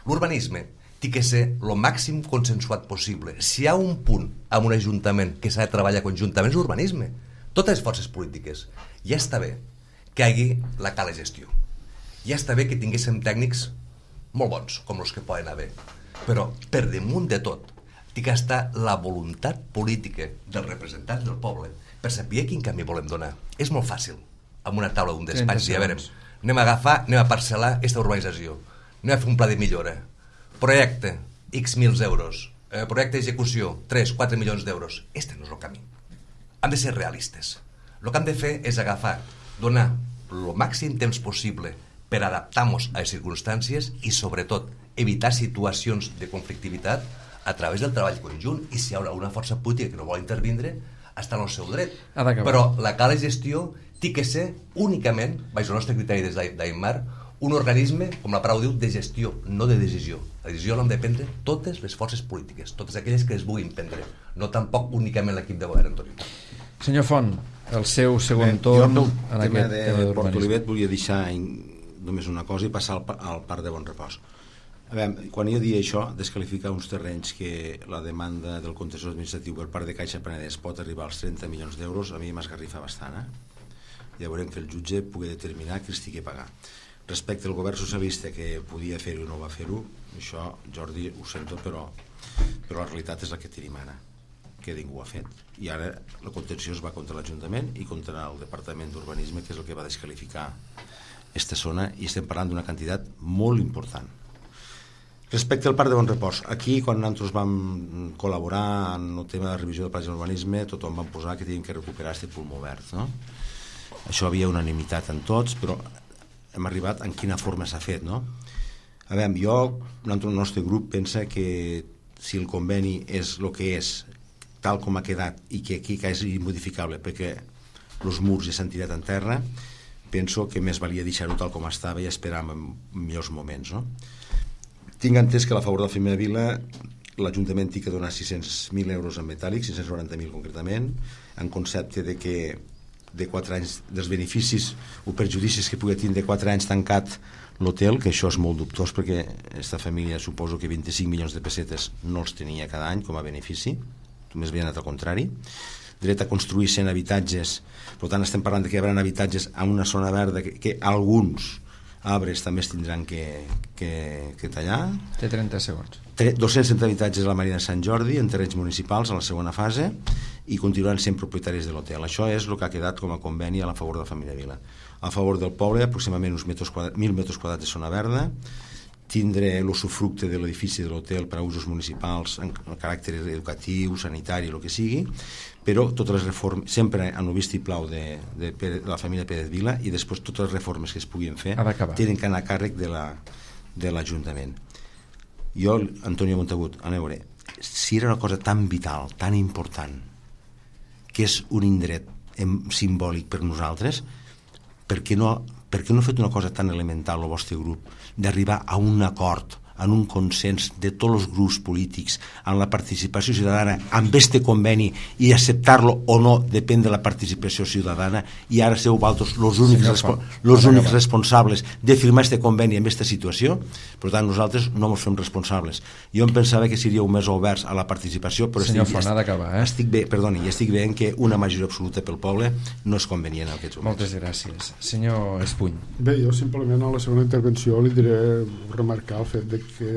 L'urbanisme té que ser el màxim consensuat possible. Si hi ha un punt en un ajuntament que s'ha de treballar conjuntament és l'urbanisme. Totes les forces polítiques. Ja està bé que hi hagi la cala gestió. Ja està bé que tinguéssim tècnics molt bons, com els que poden haver. Però per damunt de tot té que estar la voluntat política dels representants del poble per saber quin camí volem donar. És molt fàcil, amb una taula d'un despatx, i a veure, anem a agafar, anem a parcel·lar aquesta urbanització, anem a fer un pla de millora, projecte, X mil euros, eh, projecte d'execució, tres, quatre milions d'euros. Este no és el camí. Hem de ser realistes. El que hem de fer és agafar, donar el màxim temps possible per adaptar-nos a les circumstàncies i, sobretot, evitar situacions de conflictivitat a través del treball conjunt, i si hi haurà una força política que no vol intervindre, està en el seu dret. Però la cala gestió té que ser únicament, baix el nostre criteri des d'Aimar, un organisme, com la paraula diu, de gestió, no de decisió. La decisió l'han de prendre totes les forces polítiques, totes aquelles que es vulguin prendre, no tampoc únicament l'equip de govern, Antoni. Senyor Font, el seu segon torn en aquest tema de Port Olivet volia deixar només una cosa i passar al, al Parc de Bon Repòs. A veure, quan jo dia això, desqualificar uns terrenys que la demanda del contenciós administratiu per part de Caixa Penedès pot arribar als trenta milions d'euros, a mi m'esgarrifa bastant, eh? Ja veurem que el jutge pugui determinar qui els tingui a pagar. Respecte al govern socialista que podia fer-ho i no va fer-ho, això, Jordi, ho sento, però, però la realitat és la que tenim ara, que ningú ho ha fet. I ara la contenció es va contra l'Ajuntament i contra el Departament d'Urbanisme, que és el que va desqualificar aquesta zona, i estem parlant d'una quantitat molt important. Respecte al Parc de Bon Repòs, aquí quan nosaltres vam col·laborar en el tema de la revisió del pla d'urbanisme, tothom vam posar que teníem que recuperar aquest pulmó verd, no? Això havia unanimitat en tots, però hem arribat en quina forma s'ha fet, no? A veure, jo, el nostre grup pensa que si el conveni és el que és, tal com ha quedat, i que aquí és immodificable perquè els murs ja s'han tirat en terra, penso que més valia deixar-ho tal com estava i esperar en millors moments, no? Tinc entès que a favor de la primera vila l'Ajuntament té que donar sis-cents mil euros en metàl·lic, cinc-cents noranta mil concretament, en concepte de que de quatre anys dels beneficis o perjudicis que pugui tindre quatre anys tancat l'hotel, que això és molt dubtós perquè aquesta família suposo que vint-i-cinc milions de pessetes no els tenia cada any com a benefici, només havia anat al contrari. Dret a construir cent habitatges, per tant estem parlant de que hi haurà habitatges en una zona verda que, que alguns arbres també es tindran que, que, que tallar. Té trenta segons. dos-cents trenta habitatges a la Marina de Sant Jordi en terrenys municipals a la segona fase i continuaran sent propietaris de l'hotel. Això és el que ha quedat com a conveni a la favor de la família Vila. A favor del poble, aproximadament uns metres quadrats, mil metres quadrats de zona verda, tindre l'usufructe de l'edifici de l'hotel per a usos municipals en, en caràcter educatiu, sanitari, el que sigui, però totes les reformes, sempre en el vistiplau de, de, de la família Pérez Vila, i després totes les reformes que es puguin fer tenen que anar a càrrec de la, de l'Ajuntament. Jo, Antonio Montagut, a veure, si era una cosa tan vital, tan important, que és un indret simbòlic per nosaltres, per què no, per què no ha fet una cosa tan elemental el vostre grup d'arribar a un acord, en un consens de tots els grups polítics en la participació ciutadana amb este conveni, i acceptar-lo o no depèn de la participació ciutadana, i ara sou vosaltres els únics, respo los únics responsables de firmar este conveni en aquesta situació? Per tant, nosaltres no ens fem responsables. Jo em pensava que seríeu més oberts a la participació, però Senyor estic, Font, ha d'acabar, eh? estic bé, perdoni, estic veient que una majoria absoluta pel poble no és convenient en aquests moments. Moltes gràcies. Senyor Espuny. Bé, jo simplement a la segona intervenció li diré remarcar el fet de que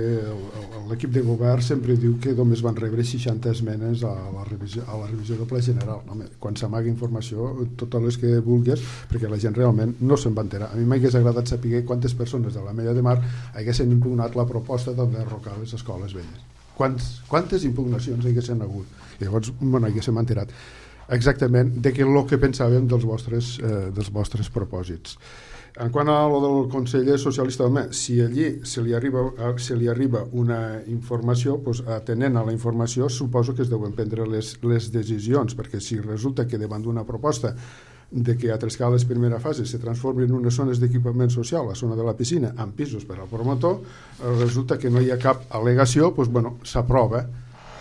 l'equip de govern sempre diu que només van rebre seixanta esmenes a la revisió, a la revisió del Ple General. Home, quan s'amaga informació, totes les que vulguis, perquè la gent realment no se'n va enterar. A mi m'hagués agradat saber quantes persones de la Mella de Mar haguessin impugnat la proposta d'enderrocar les escoles velles. Quants, quantes impugnacions haguessin hagut? I llavors, bueno, haguéssim enterat exactament de què el que pensàvem dels vostres, eh, dels vostres propòsits. En quant a lo del conseller socialista, home, si allí se li arriba, se li arriba una informació, doncs, atenent a la informació, suposo que es deuen prendre les, les decisions, perquè si resulta que davant d'una proposta de que a Trescales primera fase se transformin en unes zones d'equipament social, la zona de la piscina, amb pisos per al promotor, resulta que no hi ha cap al·legació, doncs, bueno, s'aprova.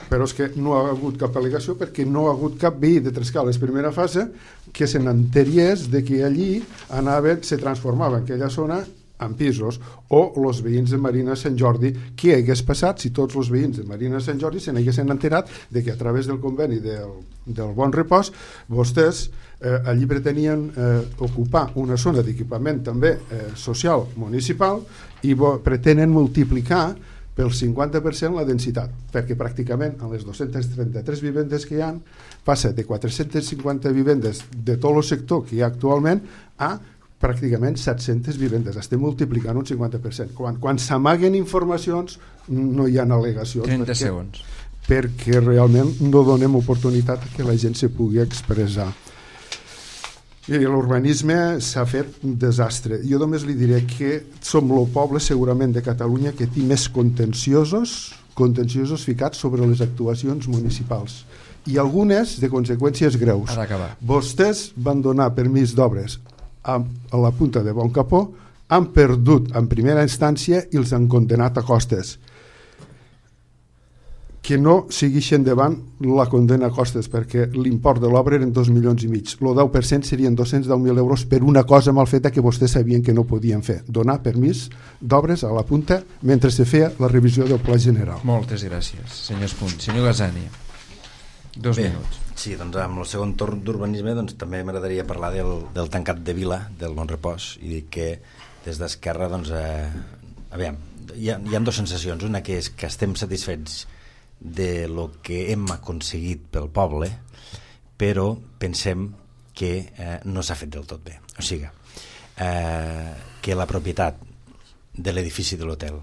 Però és que no ha hagut cap al·legació perquè no ha hagut cap veí de Trescales primera fase que se n'enteriés de que allí anaven, se transformava aquella zona en pisos, o els veïns de Marina Sant Jordi. Què hagués passat si tots els veïns de Marina Sant Jordi se n'haguessin enterat de que a través del conveni del, del Bon Repòs vostès eh, allí pretenien eh, ocupar una zona d'equipament també eh, social municipal, i pretenen multiplicar pel cinquanta per cent la densitat, perquè pràcticament en les dos-centes trenta-tres vivendes que hi ha passa de quatre-centes cinquanta vivendes de tot el sector que hi ha actualment a pràcticament set-centes vivendes. Estem multiplicant un cinquanta per cent. Quan, quan s'amaguen informacions no hi ha al·legacions, trenta perquè, segons. perquè realment no donem oportunitat que la gent se pugui expressar. I l'urbanisme s'ha fet un desastre. Jo només li diré que som el poble segurament de Catalunya que té més contenciosos contenciosos ficats sobre les actuacions municipals, i algunes de conseqüències greus. Vostès van donar permís d'obres a, a la punta de Bon Capó, han perdut en primera instància i els han condenat a costes. Que no segueixen davant la condena a costes, perquè l'import de l'obra eren dos milions i mig. El deu per cent serien dos-cents deu mil euros per una cosa mal feta que vostès sabien que no podien fer. Donar permís d'obres a la punta mentre se feia la revisió del Pla General. Moltes gràcies, senyor Espuny. Senyor Gazzani, dos Bé, minuts. Sí, doncs amb el segon torn d'urbanisme doncs, també m'agradaria parlar del, del tancat de Vila, del Bon Repòs, i dir que des d'Esquerra doncs, eh, aviam, hi ha, hi ha dues sensacions. Una que és que estem satisfets de lo que hem aconseguit pel poble, però pensem que eh, no s'ha fet del tot bé. O sigui, eh, que la propietat de l'edifici de l'hotel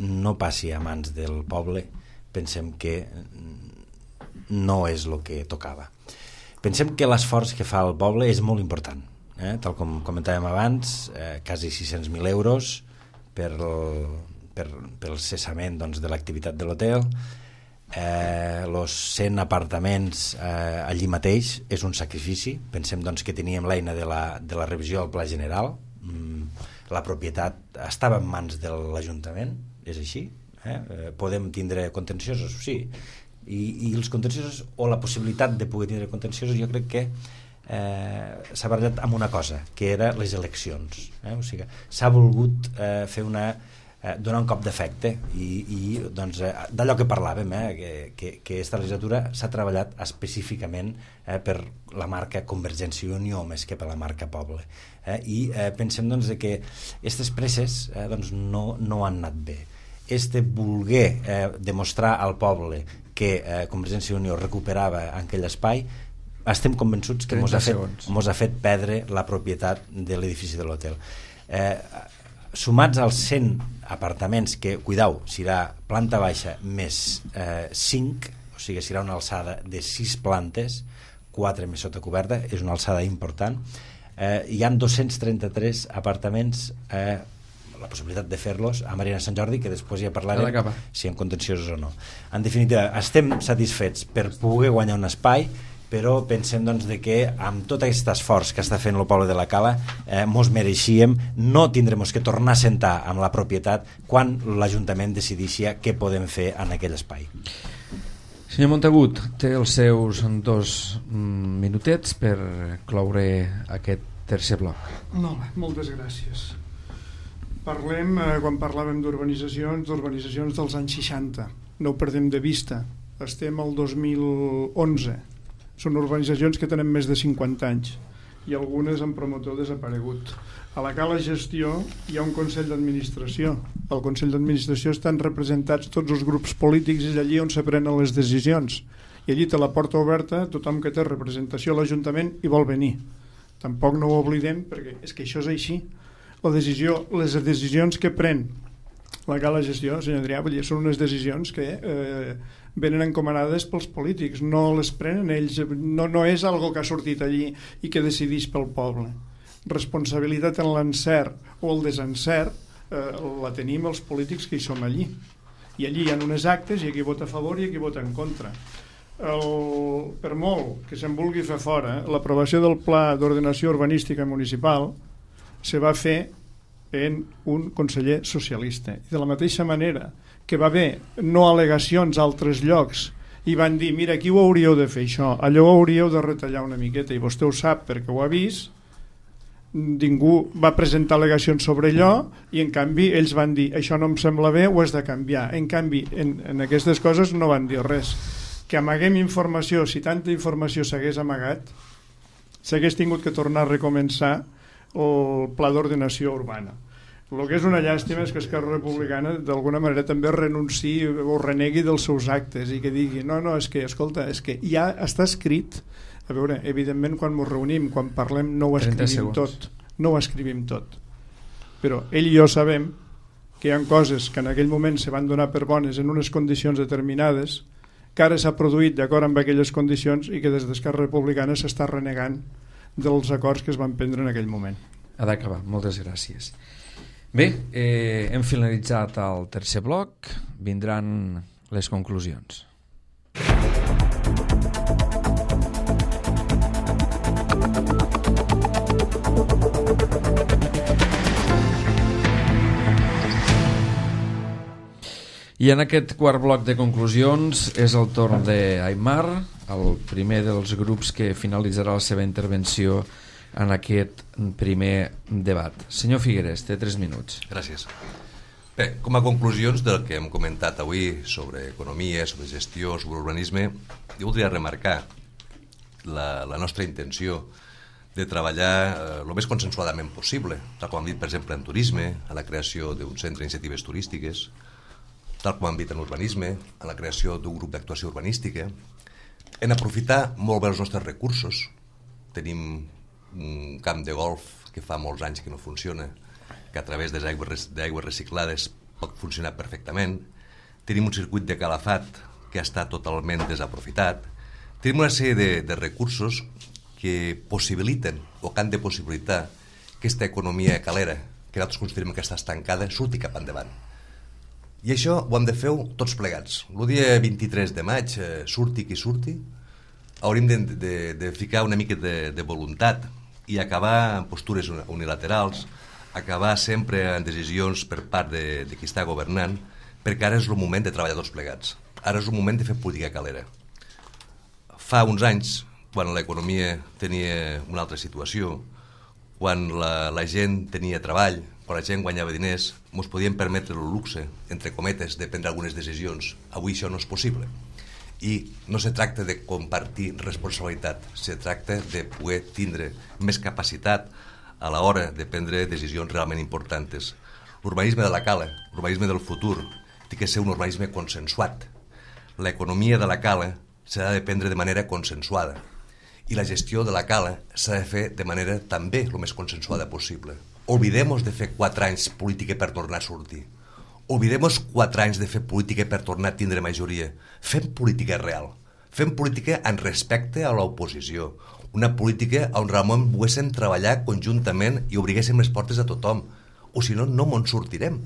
no passi a mans del poble, pensem que no és el que tocava. Pensem que l'esforç que fa el poble és molt important, eh? Tal com comentàvem abans, eh, quasi sis-cents mil euros per el, per, pel cessament doncs, de l'activitat de l'hotel. Eh, los cent apartaments eh, allí mateix és un sacrifici. Pensem doncs, que teníem l'eina de, la, de la revisió del Pla General. Mm, la propietat estava en mans de l'Ajuntament, és així. Eh? Eh, podem tindre contenciosos, sí, i, i els contenciosos, o la possibilitat de poder tindre contenciosos, jo crec que eh, s'ha barallat amb una cosa, que era les eleccions. Eh? O sigui, s'ha volgut eh, fer una Eh, donar un cop d'efecte, i, i doncs, eh, d'allò que parlàvem, eh, que, que, que aquesta legislatura s'ha treballat específicament eh, per la marca Convergència i Unió més que per la marca Poble, eh, i eh, pensem doncs, que aquestes presses eh, doncs, no, no han anat bé. Este voler eh, demostrar al poble que eh, Convergència i Unió recuperava aquell espai, estem convençuts que ens ha, fet, ha fet perdre la propietat de l'edifici de l'hotel. Eh, sumats als cent apartaments que, cuidau, serà planta baixa més eh, cinc, o sigui, serà una alçada de sis plantes, quatre més sota coberta, és una alçada important. Eh, hi ha dos-cents trenta-tres apartaments, eh, la possibilitat de fer-los a Marina Sant Jordi, que després ja parlarem si en contenciosos o no. En definitiva, estem satisfets per poder guanyar un espai, però pensem doncs, de que amb tot aquest esforç que està fent el poble de la Cala eh, mos mereixíem, no tindrem que tornar a sentar amb la propietat quan l'Ajuntament decidixi què podem fer en aquell espai. Senyor Montagut, té els seus dos minutets per cloure aquest tercer bloc. Molt bé, moltes gràcies. Parlem, eh, quan parlàvem d'urbanitzacions, d'urbanitzacions dels anys seixanta. No ho perdem de vista. Estem al dos mil onze. Són urbanitzacions que tenen més de cinquanta anys i algunes amb promotor desaparegut. A la Cala Gestió hi ha un Consell d'Administració. Al Consell d'Administració estan representats tots els grups polítics i és allí on se prenen les decisions. I allí té la porta oberta tothom que té representació a l'Ajuntament i vol venir. Tampoc no ho oblidem perquè és que això és així. La decisió, les decisions que pren la Cala Gestió, senyor Adrià, vull dir, són unes decisions que eh, venen encomanades pels polítics, no les prenen ells, no, no és algo que ha sortit allí i que decidís pel poble. Responsabilitat en l'encert o el desencert eh, la tenim els polítics que hi som allí. I allí hi ha unes actes i aquí vota a favor i aquí vota en contra. El, per molt que se'n vulgui fer fora, l'aprovació del Pla d'Ordenació Urbanística Municipal se va fer en un conseller socialista. I de la mateixa manera que va haver no al·legacions a altres llocs i van dir, mira, aquí ho hauríeu de fer això, allò ho hauríeu de retallar una miqueta, i vostè ho sap perquè ho ha vist, ningú va presentar al·legacions sobre allò i en canvi ells van dir, això no em sembla bé, ho has de canviar. En canvi, en, en aquestes coses no van dir res. Que amaguem informació, si tanta informació s'hagués amagat, s'hagués tingut que tornar a recomençar el pla d'ordenació urbana. El que és una llàstima és que Esquerra Republicana d'alguna manera també renunciï o renegui dels seus actes i que digui, no, no, és que, escolta, és que ja està escrit. A veure, evidentment quan ens reunim, quan parlem, no ho escrivim tot, no ho escrivim tot, però ell i jo sabem que hi ha coses que en aquell moment se van donar per bones en unes condicions determinades, que ara s'ha produït d'acord amb aquelles condicions i que des d'Esquerra Republicana s'està renegant dels acords que es van prendre en aquell moment. Ha d'acabar, moltes gràcies. Bé, eh, hem finalitzat el tercer bloc, vindran les conclusions. I en aquest quart bloc de conclusions és el torn d'Aimar, el primer dels grups que finalitzarà la seva intervenció en aquest primer debat. Senyor Figueres, té tres minuts. Gràcies. Bé, com a conclusions del que hem comentat avui sobre economia, sobre gestió, sobre urbanisme, jo voldria remarcar la, la nostra intenció de treballar eh, el més consensuadament possible, tal com hem dit, per exemple, en turisme, en la creació d'un centre d'iniciatives turístiques, tal com hem dit en urbanisme, en la creació d'un grup d'actuació urbanística, en aprofitar molt bé els nostres recursos. Tenim un camp de golf que fa molts anys que no funciona, que a través d'aigües reciclades pot funcionar perfectament. Tenim un circuit de calafat que està totalment desaprofitat. Tenim una sèrie de, de recursos que possibiliten o que han de possibilitar que aquesta economia calera, que nosaltres considerem que està estancada, surti cap endavant. I això ho hem de fer tots plegats. El dia vint-i-tres de maig, eh, surti qui surti, hauríem de, de, de ficar una mica de, de voluntat i acabar en postures unilaterals, acabar sempre en decisions per part de, de qui està governant, perquè ara és el moment de treballar tots plegats. Ara és el moment de fer política calera. Fa uns anys, quan l'economia tenia una altra situació, quan la, la gent tenia treball, quan la gent guanyava diners, ens podíem permetre el luxe, entre cometes, de prendre algunes decisions. Avui això no és possible. I no se tracta de compartir responsabilitat, se tracta de poder tindre més capacitat a l'hora de prendre decisions realment importants. L'urbanisme de la cala, l'urbanisme del futur, té que ser un urbanisme consensuat. L'economia de la cala s'ha de prendre de manera consensuada i la gestió de la cala s'ha de fer de manera també el més consensuada possible. Oblidem-nos de fer quatre anys política per tornar a sortir. Oblidem-nos quatre anys de fer política per tornar a tindre majoria. Fem política real. Fem política en respecte a l'oposició. Una política on Ramon poguéssim treballar conjuntament i obriguéssim les portes a tothom. O si no, no me'n sortirem.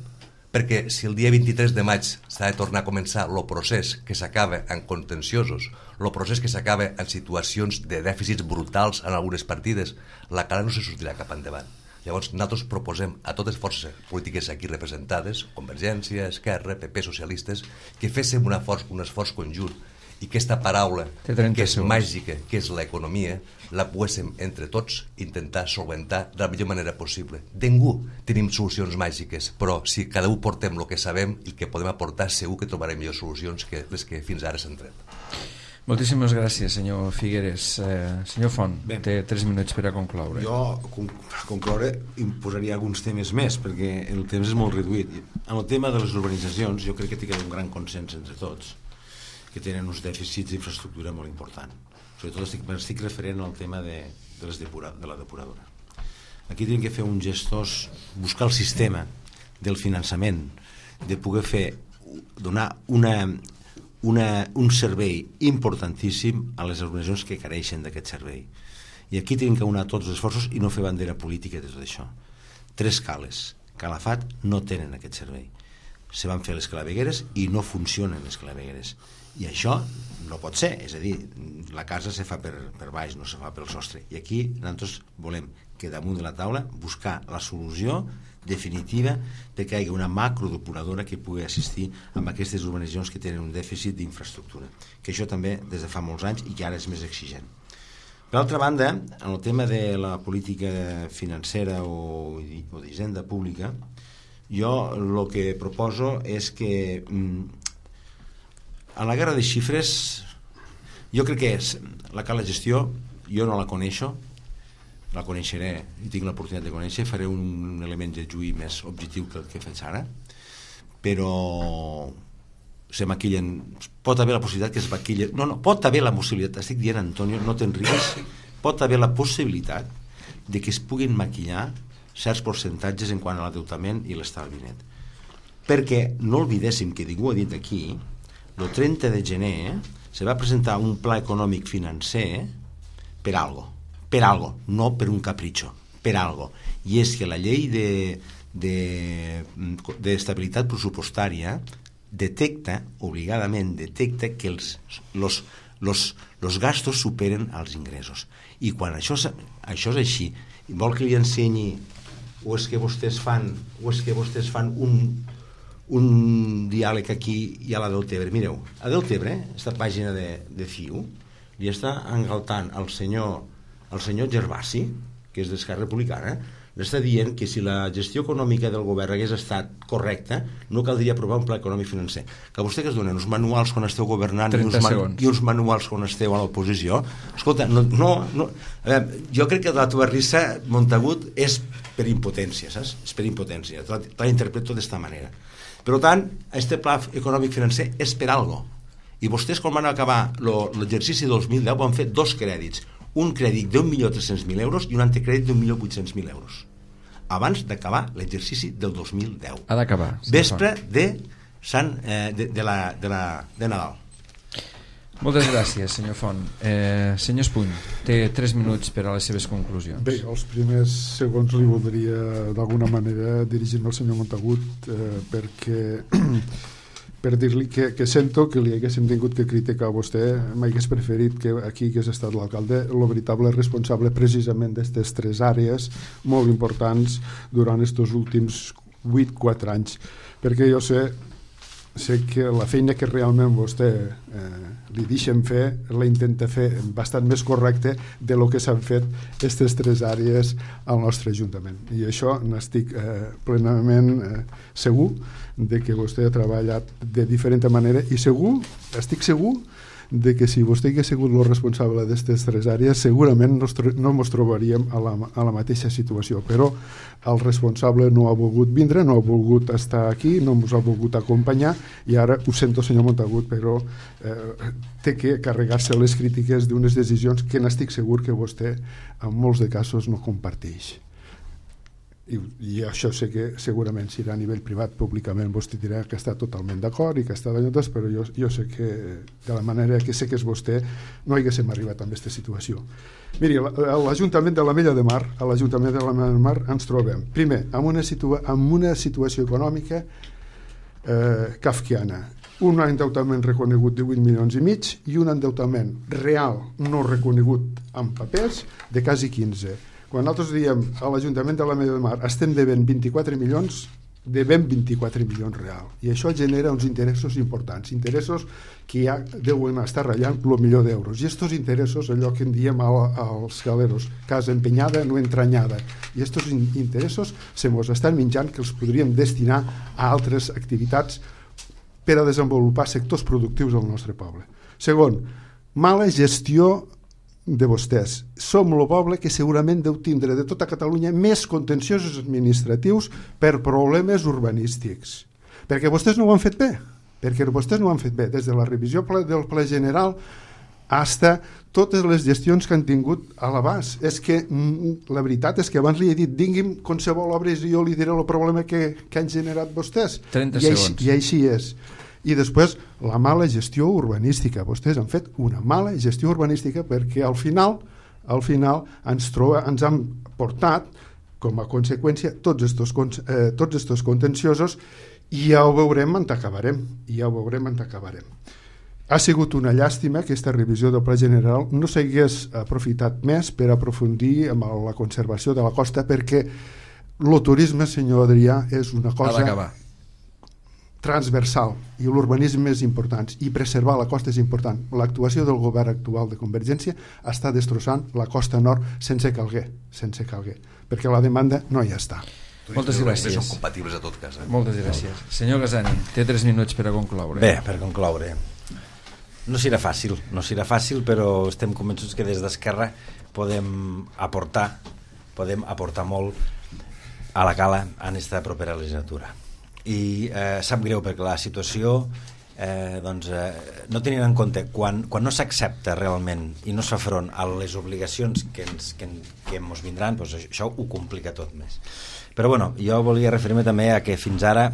Perquè si el dia vint-i-tres de maig s'ha de tornar a començar el procés que s'acaba en contenciosos, el procés que s'acaba en situacions de dèficits brutals en algunes partides, la cara no se sortirà cap endavant. Llavors nosaltres proposem a totes les forces polítiques aquí representades, Convergència, Esquerra, P P, socialistes, que féssim un esforç, un esforç conjunt i aquesta paraula que és màgica, que és l'economia, la poguéssim entre tots intentar solventar de la millor manera possible. De ningú tenim solucions màgiques, però si cada un portem el que sabem i el que podem aportar, segur que trobarem millors solucions que les que fins ara s'han tret. Moltíssimes gràcies, senyor Figueres. Eh, senyor Font, bé, té tres minuts per a concloure. Jo, per concloure, imposaria alguns temes més, perquè el temps és molt reduït. En el tema de les urbanitzacions, jo crec que té un gran consens entre tots, que tenen uns dèficits d'infraestructura molt important. Sobretot estic, estic referent al tema de, de, les depura, de la depuradora. Aquí tenim que fer un gestós, buscar el sistema del finançament, de poder fer, donar una, una, un servei importantíssim a les organitzacions que careixen d'aquest servei. I aquí tenim que unar tots els esforços i no fer bandera política de tot això. Tres cales. Calafat no tenen aquest servei. Se van fer les clavegueres i no funcionen les clavegueres. I això no pot ser, és a dir, la casa se fa per, per baix, no se fa pel sostre. I aquí nosaltres volem que damunt de la taula buscar la solució definitiva de que hi hagi una macrodepuradora que pugui assistir amb aquestes urbanitzacions que tenen un dèficit d'infraestructura, que això també des de fa molts anys i que ara és més exigent. Per altra banda, en el tema de la política financera o, o d'hisenda pública, jo el que proposo és que en la guerra de xifres jo crec que és la cala gestió, jo no la coneixo, la coneixeré i tinc l'oportunitat de conèixer, faré un element de juí més objectiu que el que faig ara, però se maquillen, pot haver la possibilitat que es maquillen, no, no, pot haver la possibilitat, estic dient, Antonio, no te'n rigues, pot haver la possibilitat de que es puguin maquillar certs percentatges en quant a l'adeutament i l'estalviament. Perquè no oblidéssim que ningú ha dit aquí, el trenta de gener se va presentar un pla econòmic financer per algo, per algo, no per un capritxo, per algo. I és que la llei de, de, d'estabilitat pressupostària detecta, obligadament detecta que els, los, los, los gastos superen els ingressos. I quan això, això és així, vol que li ensenyi o és que vostès fan o és que vostès fan un, un diàleg aquí i a la Deltebre. Mireu, a Deltebre, aquesta pàgina de, de C I U, li està engaltant el senyor, el senyor Gervasi, que és d'Esquerra Republicana, l'està dient que si la gestió econòmica del govern hagués estat correcta, no caldria aprovar un pla econòmic financer. Que vostè que es donen uns manuals quan esteu governant i uns, man, i uns manuals quan esteu a l'oposició, escolta, no, no, no, a veure, jo crec que la teva risa, Montagut, és per impotència, saps? És per impotència, te la interpreto d'esta manera. Per tant, aquest pla econòmic financer és per algo. I vostès, quan van acabar l'exercici dos mil deu, van fer dos crèdits, un crèdit d'un milió tres-cents mil euros i un anticrèdit d'un milió vuit-cents mil euros, abans d'acabar l'exercici del dos mil deu. Ha d'acabar. Vespre de, Sant, eh, de, de, la, de, la, de Nadal. Moltes gràcies, senyor Font. Eh, senyor Espuny, té tres minuts per a les seves conclusions. Bé, els primers segons li voldria d'alguna manera dirigir-me al senyor Montagut eh, perquè per dir-li que, que sento que li haguéssim tingut que criticar a vostè, m'hagués preferit que aquí hagués estat l'alcalde, el veritable responsable precisament d'aquestes tres àrees molt importants durant aquests últims vuit quatre anys, perquè jo sé sé que la feina que realment vostè eh, li deixen fer, la intenta fer bastant més correcte de lo que s'han fet aquestes tres àrees al nostre Ajuntament. I això n'estic eh, plenament eh, segur de que vostè ha treballat de diferent manera i segur, estic segur de que si vostè hagués sigut el responsable d'aquestes tres àrees segurament no, no ens trobaríem a la, a la mateixa situació, però el responsable no ha volgut vindre, no ha volgut estar aquí, no ens ha volgut acompanyar i ara ho sento, senyor Montagut, però eh, té que carregar-se les crítiques d'unes decisions que n'estic segur que vostè en molts de casos no comparteix. I, i això sé que segurament si a nivell privat públicament vostè dirà que està totalment d'acord i que està d'allò, però jo, jo sé que de la manera que sé que és vostè no haguéssim arribat a aquesta situació. Miri, a l'Ajuntament de l'Ametlla de Mar a l'Ajuntament de l'Ametlla de Mar ens trobem primer amb una, situa amb una situació econòmica eh, kafkiana, un endeutament reconegut de vuit milions i mig i un endeutament real no reconegut en papers de quasi quinze. Quan nosaltres diem a l'Ajuntament de l'Ametlla de Mar estem devent vint-i-quatre milions, devem vint-i-quatre milions real. I això genera uns interessos importants, interessos que ja deuen estar ratllant el milió d'euros. I aquests interessos, allò que en diem als galeros, casa empenyada, no entranyada. I aquests interessos se mos estan menjant que els podríem destinar a altres activitats per a desenvolupar sectors productius del nostre poble. Segon, mala gestió de vostès. Som el poble que segurament deu tindre de tota Catalunya més contenciosos administratius per problemes urbanístics. Perquè vostès no ho han fet bé. Perquè vostès no ho han fet bé. Des de la revisió del ple general hasta totes les gestions que han tingut a l'abast. És que la veritat és que abans li he dit digui'm qualsevol obra i jo li diré el problema que, que han generat vostès. trenta I segons. Així, I així és. I després la mala gestió urbanística. Vostès han fet una mala gestió urbanística perquè al final al final ens, troba, ens han portat com a conseqüència tots estos, eh, tots estos contenciosos i ja ho veurem on acabarem. I ja ho veurem on acabarem. Ha sigut una llàstima que aquesta revisió del Pla General no s'hagués aprofitat més per aprofundir en la conservació de la costa perquè el turisme, senyor Adrià, és una cosa transversal i l'urbanisme és important i preservar la costa és important. L'actuació del govern actual de Convergència està destrossant la costa nord sense calguer, sense calguer, perquè la demanda no hi està. Moltes gràcies. Són compatibles a tot cas. Eh? Moltes gràcies. Senyor Gasani, té tres minuts per a concloure. Bé, per concloure. No serà fàcil, no serà fàcil, però estem convençuts que des d'Esquerra podem aportar, podem aportar molt a la cala en aquesta propera legislatura. I eh, sap greu perquè la situació eh, doncs, eh, no tenint en compte quan, quan no s'accepta realment i no s'ha front a les obligacions que ens, que, que ens vindran, doncs això ho complica tot més. Però bueno, jo volia referir-me també a que fins ara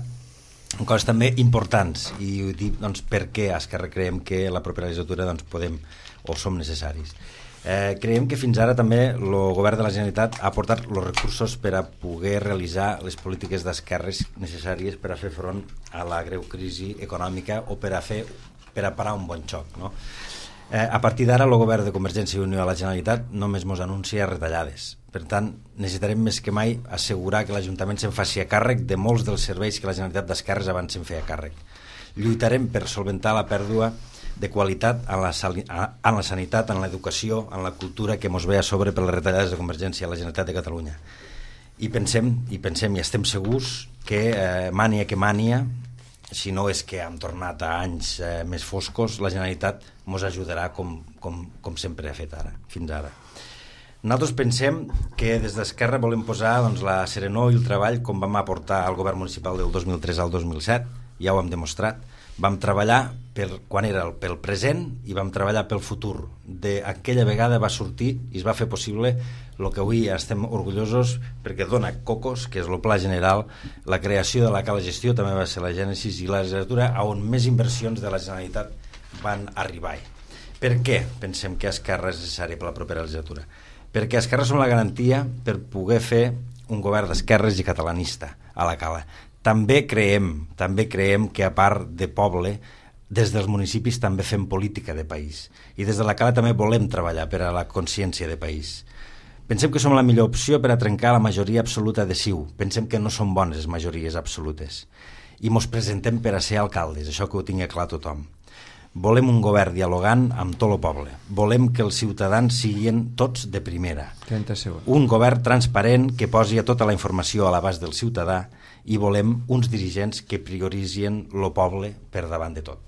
coses també importants i ho dic doncs, perquè a Esquerra creiem que la propera legislatura doncs, podem o som necessaris. Eh, creiem que fins ara també el govern de la Generalitat ha aportat els recursos per a poder realitzar les polítiques d'esquerres necessàries per a fer front a la greu crisi econòmica o per a fer per a parar un bon xoc, no? Eh, a partir d'ara el govern de Convergència i Unió a la Generalitat només ens anuncia retallades. Per tant, necessitarem més que mai assegurar que l'Ajuntament se'n faci a càrrec de molts dels serveis que la Generalitat d'Esquerres abans se'n feia càrrec. Lluitarem per solventar la pèrdua de qualitat en la, en la sanitat, en l'educació, en la cultura que ens ve a sobre per les retallades de Convergència a la Generalitat de Catalunya. I pensem, i pensem i estem segurs que eh, mània que mània, si no és que hem tornat a anys eh, més foscos, la Generalitat ens ajudarà com, com, com sempre ha fet ara, fins ara. Nosaltres pensem que des d'Esquerra volem posar doncs, la serenor i el treball com vam aportar al govern municipal del dos mil tres al dos mil set, ja ho hem demostrat. Vam treballar per, quan era el, pel present i vam treballar pel futur. D'aquella vegada va sortir i es va fer possible el que avui estem orgullosos perquè dona cocos, que és el pla general, la creació de la cala gestió també va ser la gènesis i la legislatura on més inversions de la Generalitat van arribar. Per què pensem que Esquerra és necessari per la propera legislatura? Perquè Esquerra som la garantia per poder fer un govern d'esquerres i catalanista a la cala. També creiem, també creiem que a part de poble, des dels municipis també fem política de país. I des de la cala també volem treballar per a la consciència de país. Pensem que som la millor opció per a trencar la majoria absoluta de C I U. Pensem que no són bones les majories absolutes. I mos presentem per a ser alcaldes, això que ho tingui clar tothom. Volem un govern dialogant amb tot el poble. Volem que els ciutadans siguin tots de primera. trenta segons. Un govern transparent que posi tota la informació a l'abast del ciutadà i volem uns dirigents que prioritzin el poble per davant de tot.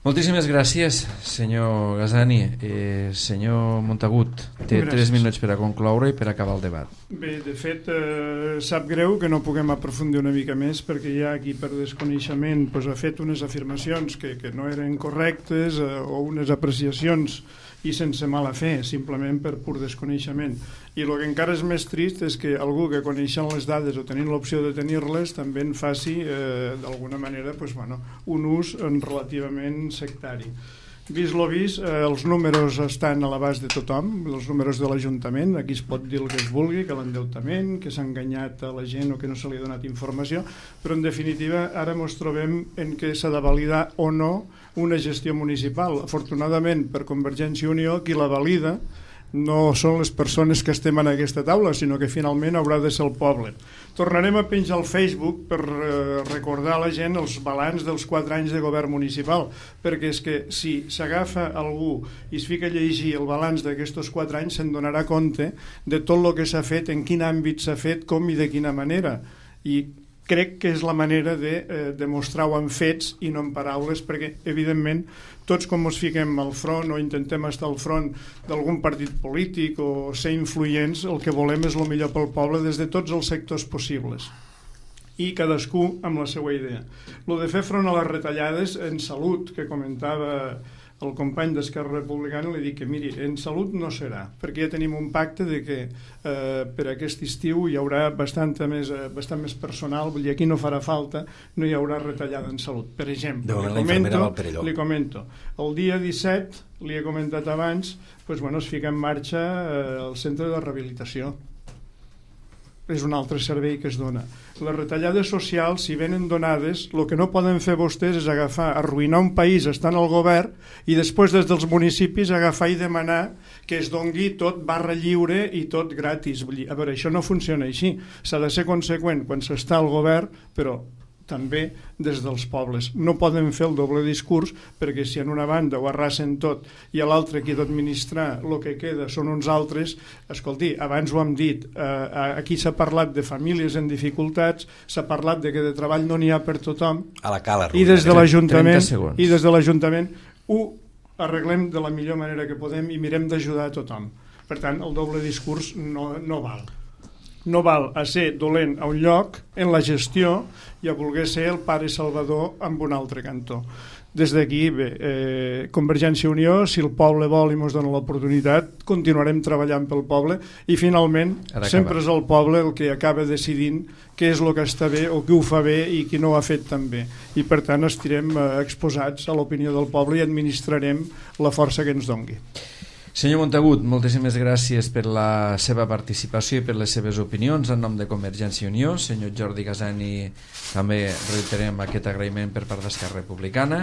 Moltíssimes gràcies, senyor Gasani. Eh, senyor Montagut, té gràcies. Tres minuts per a concloure i per a acabar el debat. Bé, de fet, eh, sap greu que no puguem aprofundir una mica més perquè ja aquí per desconeixement pues, ha fet unes afirmacions que, que no eren correctes eh, o unes apreciacions i sense mala fe, simplement per pur desconeixement. I el que encara és més trist és que algú que coneixent les dades o tenint l'opció de tenir-les també en faci eh, d'alguna manera pues, bueno, un ús relativament sectari. Vist lo vist, eh, els números estan a l'abast de tothom, els números de l'Ajuntament, aquí es pot dir el que es vulgui, que l'endeutament, que s'ha enganyat a la gent o que no se li ha donat informació, però en definitiva ara ens trobem en què s'ha de validar o no una gestió municipal. Afortunadament per Convergència i Unió qui la valida no són les persones que estem en aquesta taula, sinó que finalment haurà de ser el poble. Tornarem a penjar al Facebook per eh, recordar a la gent els balanç dels quatre anys de govern municipal, perquè és que si s'agafa algú i es fica a llegir el balanç d'aquests quatre anys se'n donarà compte de tot el que s'ha fet, en quin àmbit s'ha fet, com i de quina manera. I crec que és la manera de eh, demostrar-ho en fets i no en paraules, perquè evidentment tots com ens fiquem al front o intentem estar al front d'algun partit polític o ser influents, el que volem és el millor pel poble des de tots els sectors possibles i cadascú amb la seva idea. Lo de fer front a les retallades en salut, que comentava el company d'Esquerra Republicana, li dic que miri, en salut no serà, perquè ja tenim un pacte de que eh, per aquest estiu hi haurà bastant més, eh, bastant més personal, vull dir, aquí no farà falta, no hi haurà retallada en salut. Per exemple, li comento, li comento, el dia disset, li he comentat abans, pues, bueno, es fica en marxa eh, el centre de rehabilitació. És un altre servei que es dona. Les retallades socials, si venen donades, el que no poden fer vostès és agafar, arruïnar un país estant al govern i després des dels municipis agafar i demanar que es dongui tot barra lliure i tot gratis. Vull dir, a veure, això no funciona així. S'ha de ser conseqüent quan s'està al govern, però també des dels pobles. No poden fer el doble discurs, perquè si en una banda ho arrasen tot i a l'altra qui ha d'administrar el que queda són uns altres, escolti, abans ho hem dit, eh, aquí s'ha parlat de famílies en dificultats, s'ha parlat de que de treball no n'hi ha per tothom, a la cala, i des de l'Ajuntament i des de l'Ajuntament ho arreglem de la millor manera que podem i mirem d'ajudar a tothom. Per tant, el doble discurs no, no val. No val a ser dolent a un lloc en la gestió i a voler ser el pare salvador amb un altre cantó. Des d'aquí, bé, eh, Convergència i Unió, si el poble vol i ens dona l'oportunitat, continuarem treballant pel poble i finalment sempre és el poble el que acaba decidint què és el que està bé o qui ho fa bé i qui no ho ha fet tan bé. I per tant estirem eh, exposats a l'opinió del poble i administrarem la força que ens dongui. Senyor Montagut, moltíssimes gràcies per la seva participació i per les seves opinions en nom de Convergència i Unió. Senyor Jordi Casani, també reiterem aquest agraïment per part d'Esquerra Republicana.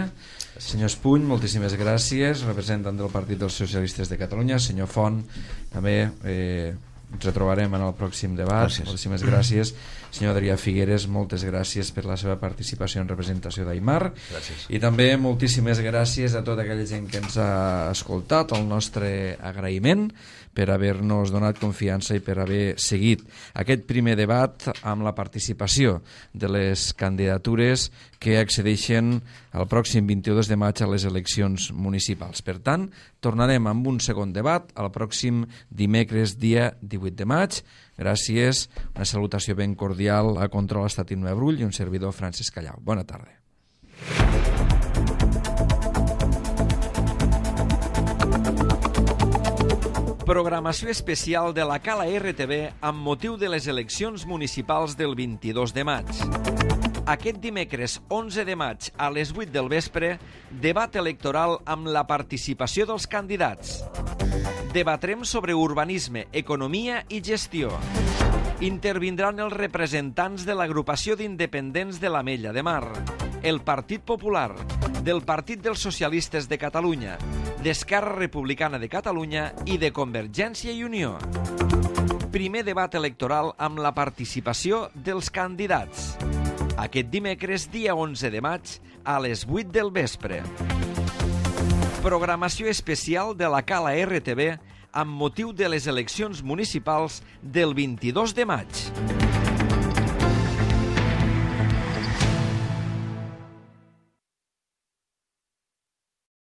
Senyor Espuny, moltíssimes gràcies, representant del Partit dels Socialistes de Catalunya. Senyor Font, també eh, ens retrobarem en el pròxim debat. Gràcies. Moltíssimes gràcies. Senyor Adrià Figueres, moltes gràcies per la seva participació en representació d'Aimar. Gràcies. I també moltíssimes gràcies a tota aquella gent que ens ha escoltat, el nostre agraïment per haver-nos donat confiança i per haver seguit aquest primer debat amb la participació de les candidatures que accedeixen el pròxim vint-i-dos de maig a les eleccions municipals. Per tant, tornarem amb un segon debat el pròxim dimecres dia divuit de maig. Gràcies, una salutació ben cordial a Control Estatiu Nueva Brull i un servidor Francesc Callau. Bona tarda. Programació especial de la Cala R T V amb motiu de les eleccions municipals del vint-i-dos de maig. Aquest dimecres onze de maig a les vuit del vespre, debat electoral amb la participació dels candidats. Debatrem sobre urbanisme, economia i gestió. Intervindran els representants de l'agrupació d'independents de l'Ametlla de Mar, el Partit Popular, del Partit dels Socialistes de Catalunya, d'Esquerra Republicana de Catalunya i de Convergència i Unió. Primer debat electoral amb la participació dels candidats. Aquest dimecres, dia onze de maig, a les vuit del vespre. Programació especial de la Cala R T V amb motiu de les eleccions municipals del vint-i-dos de maig.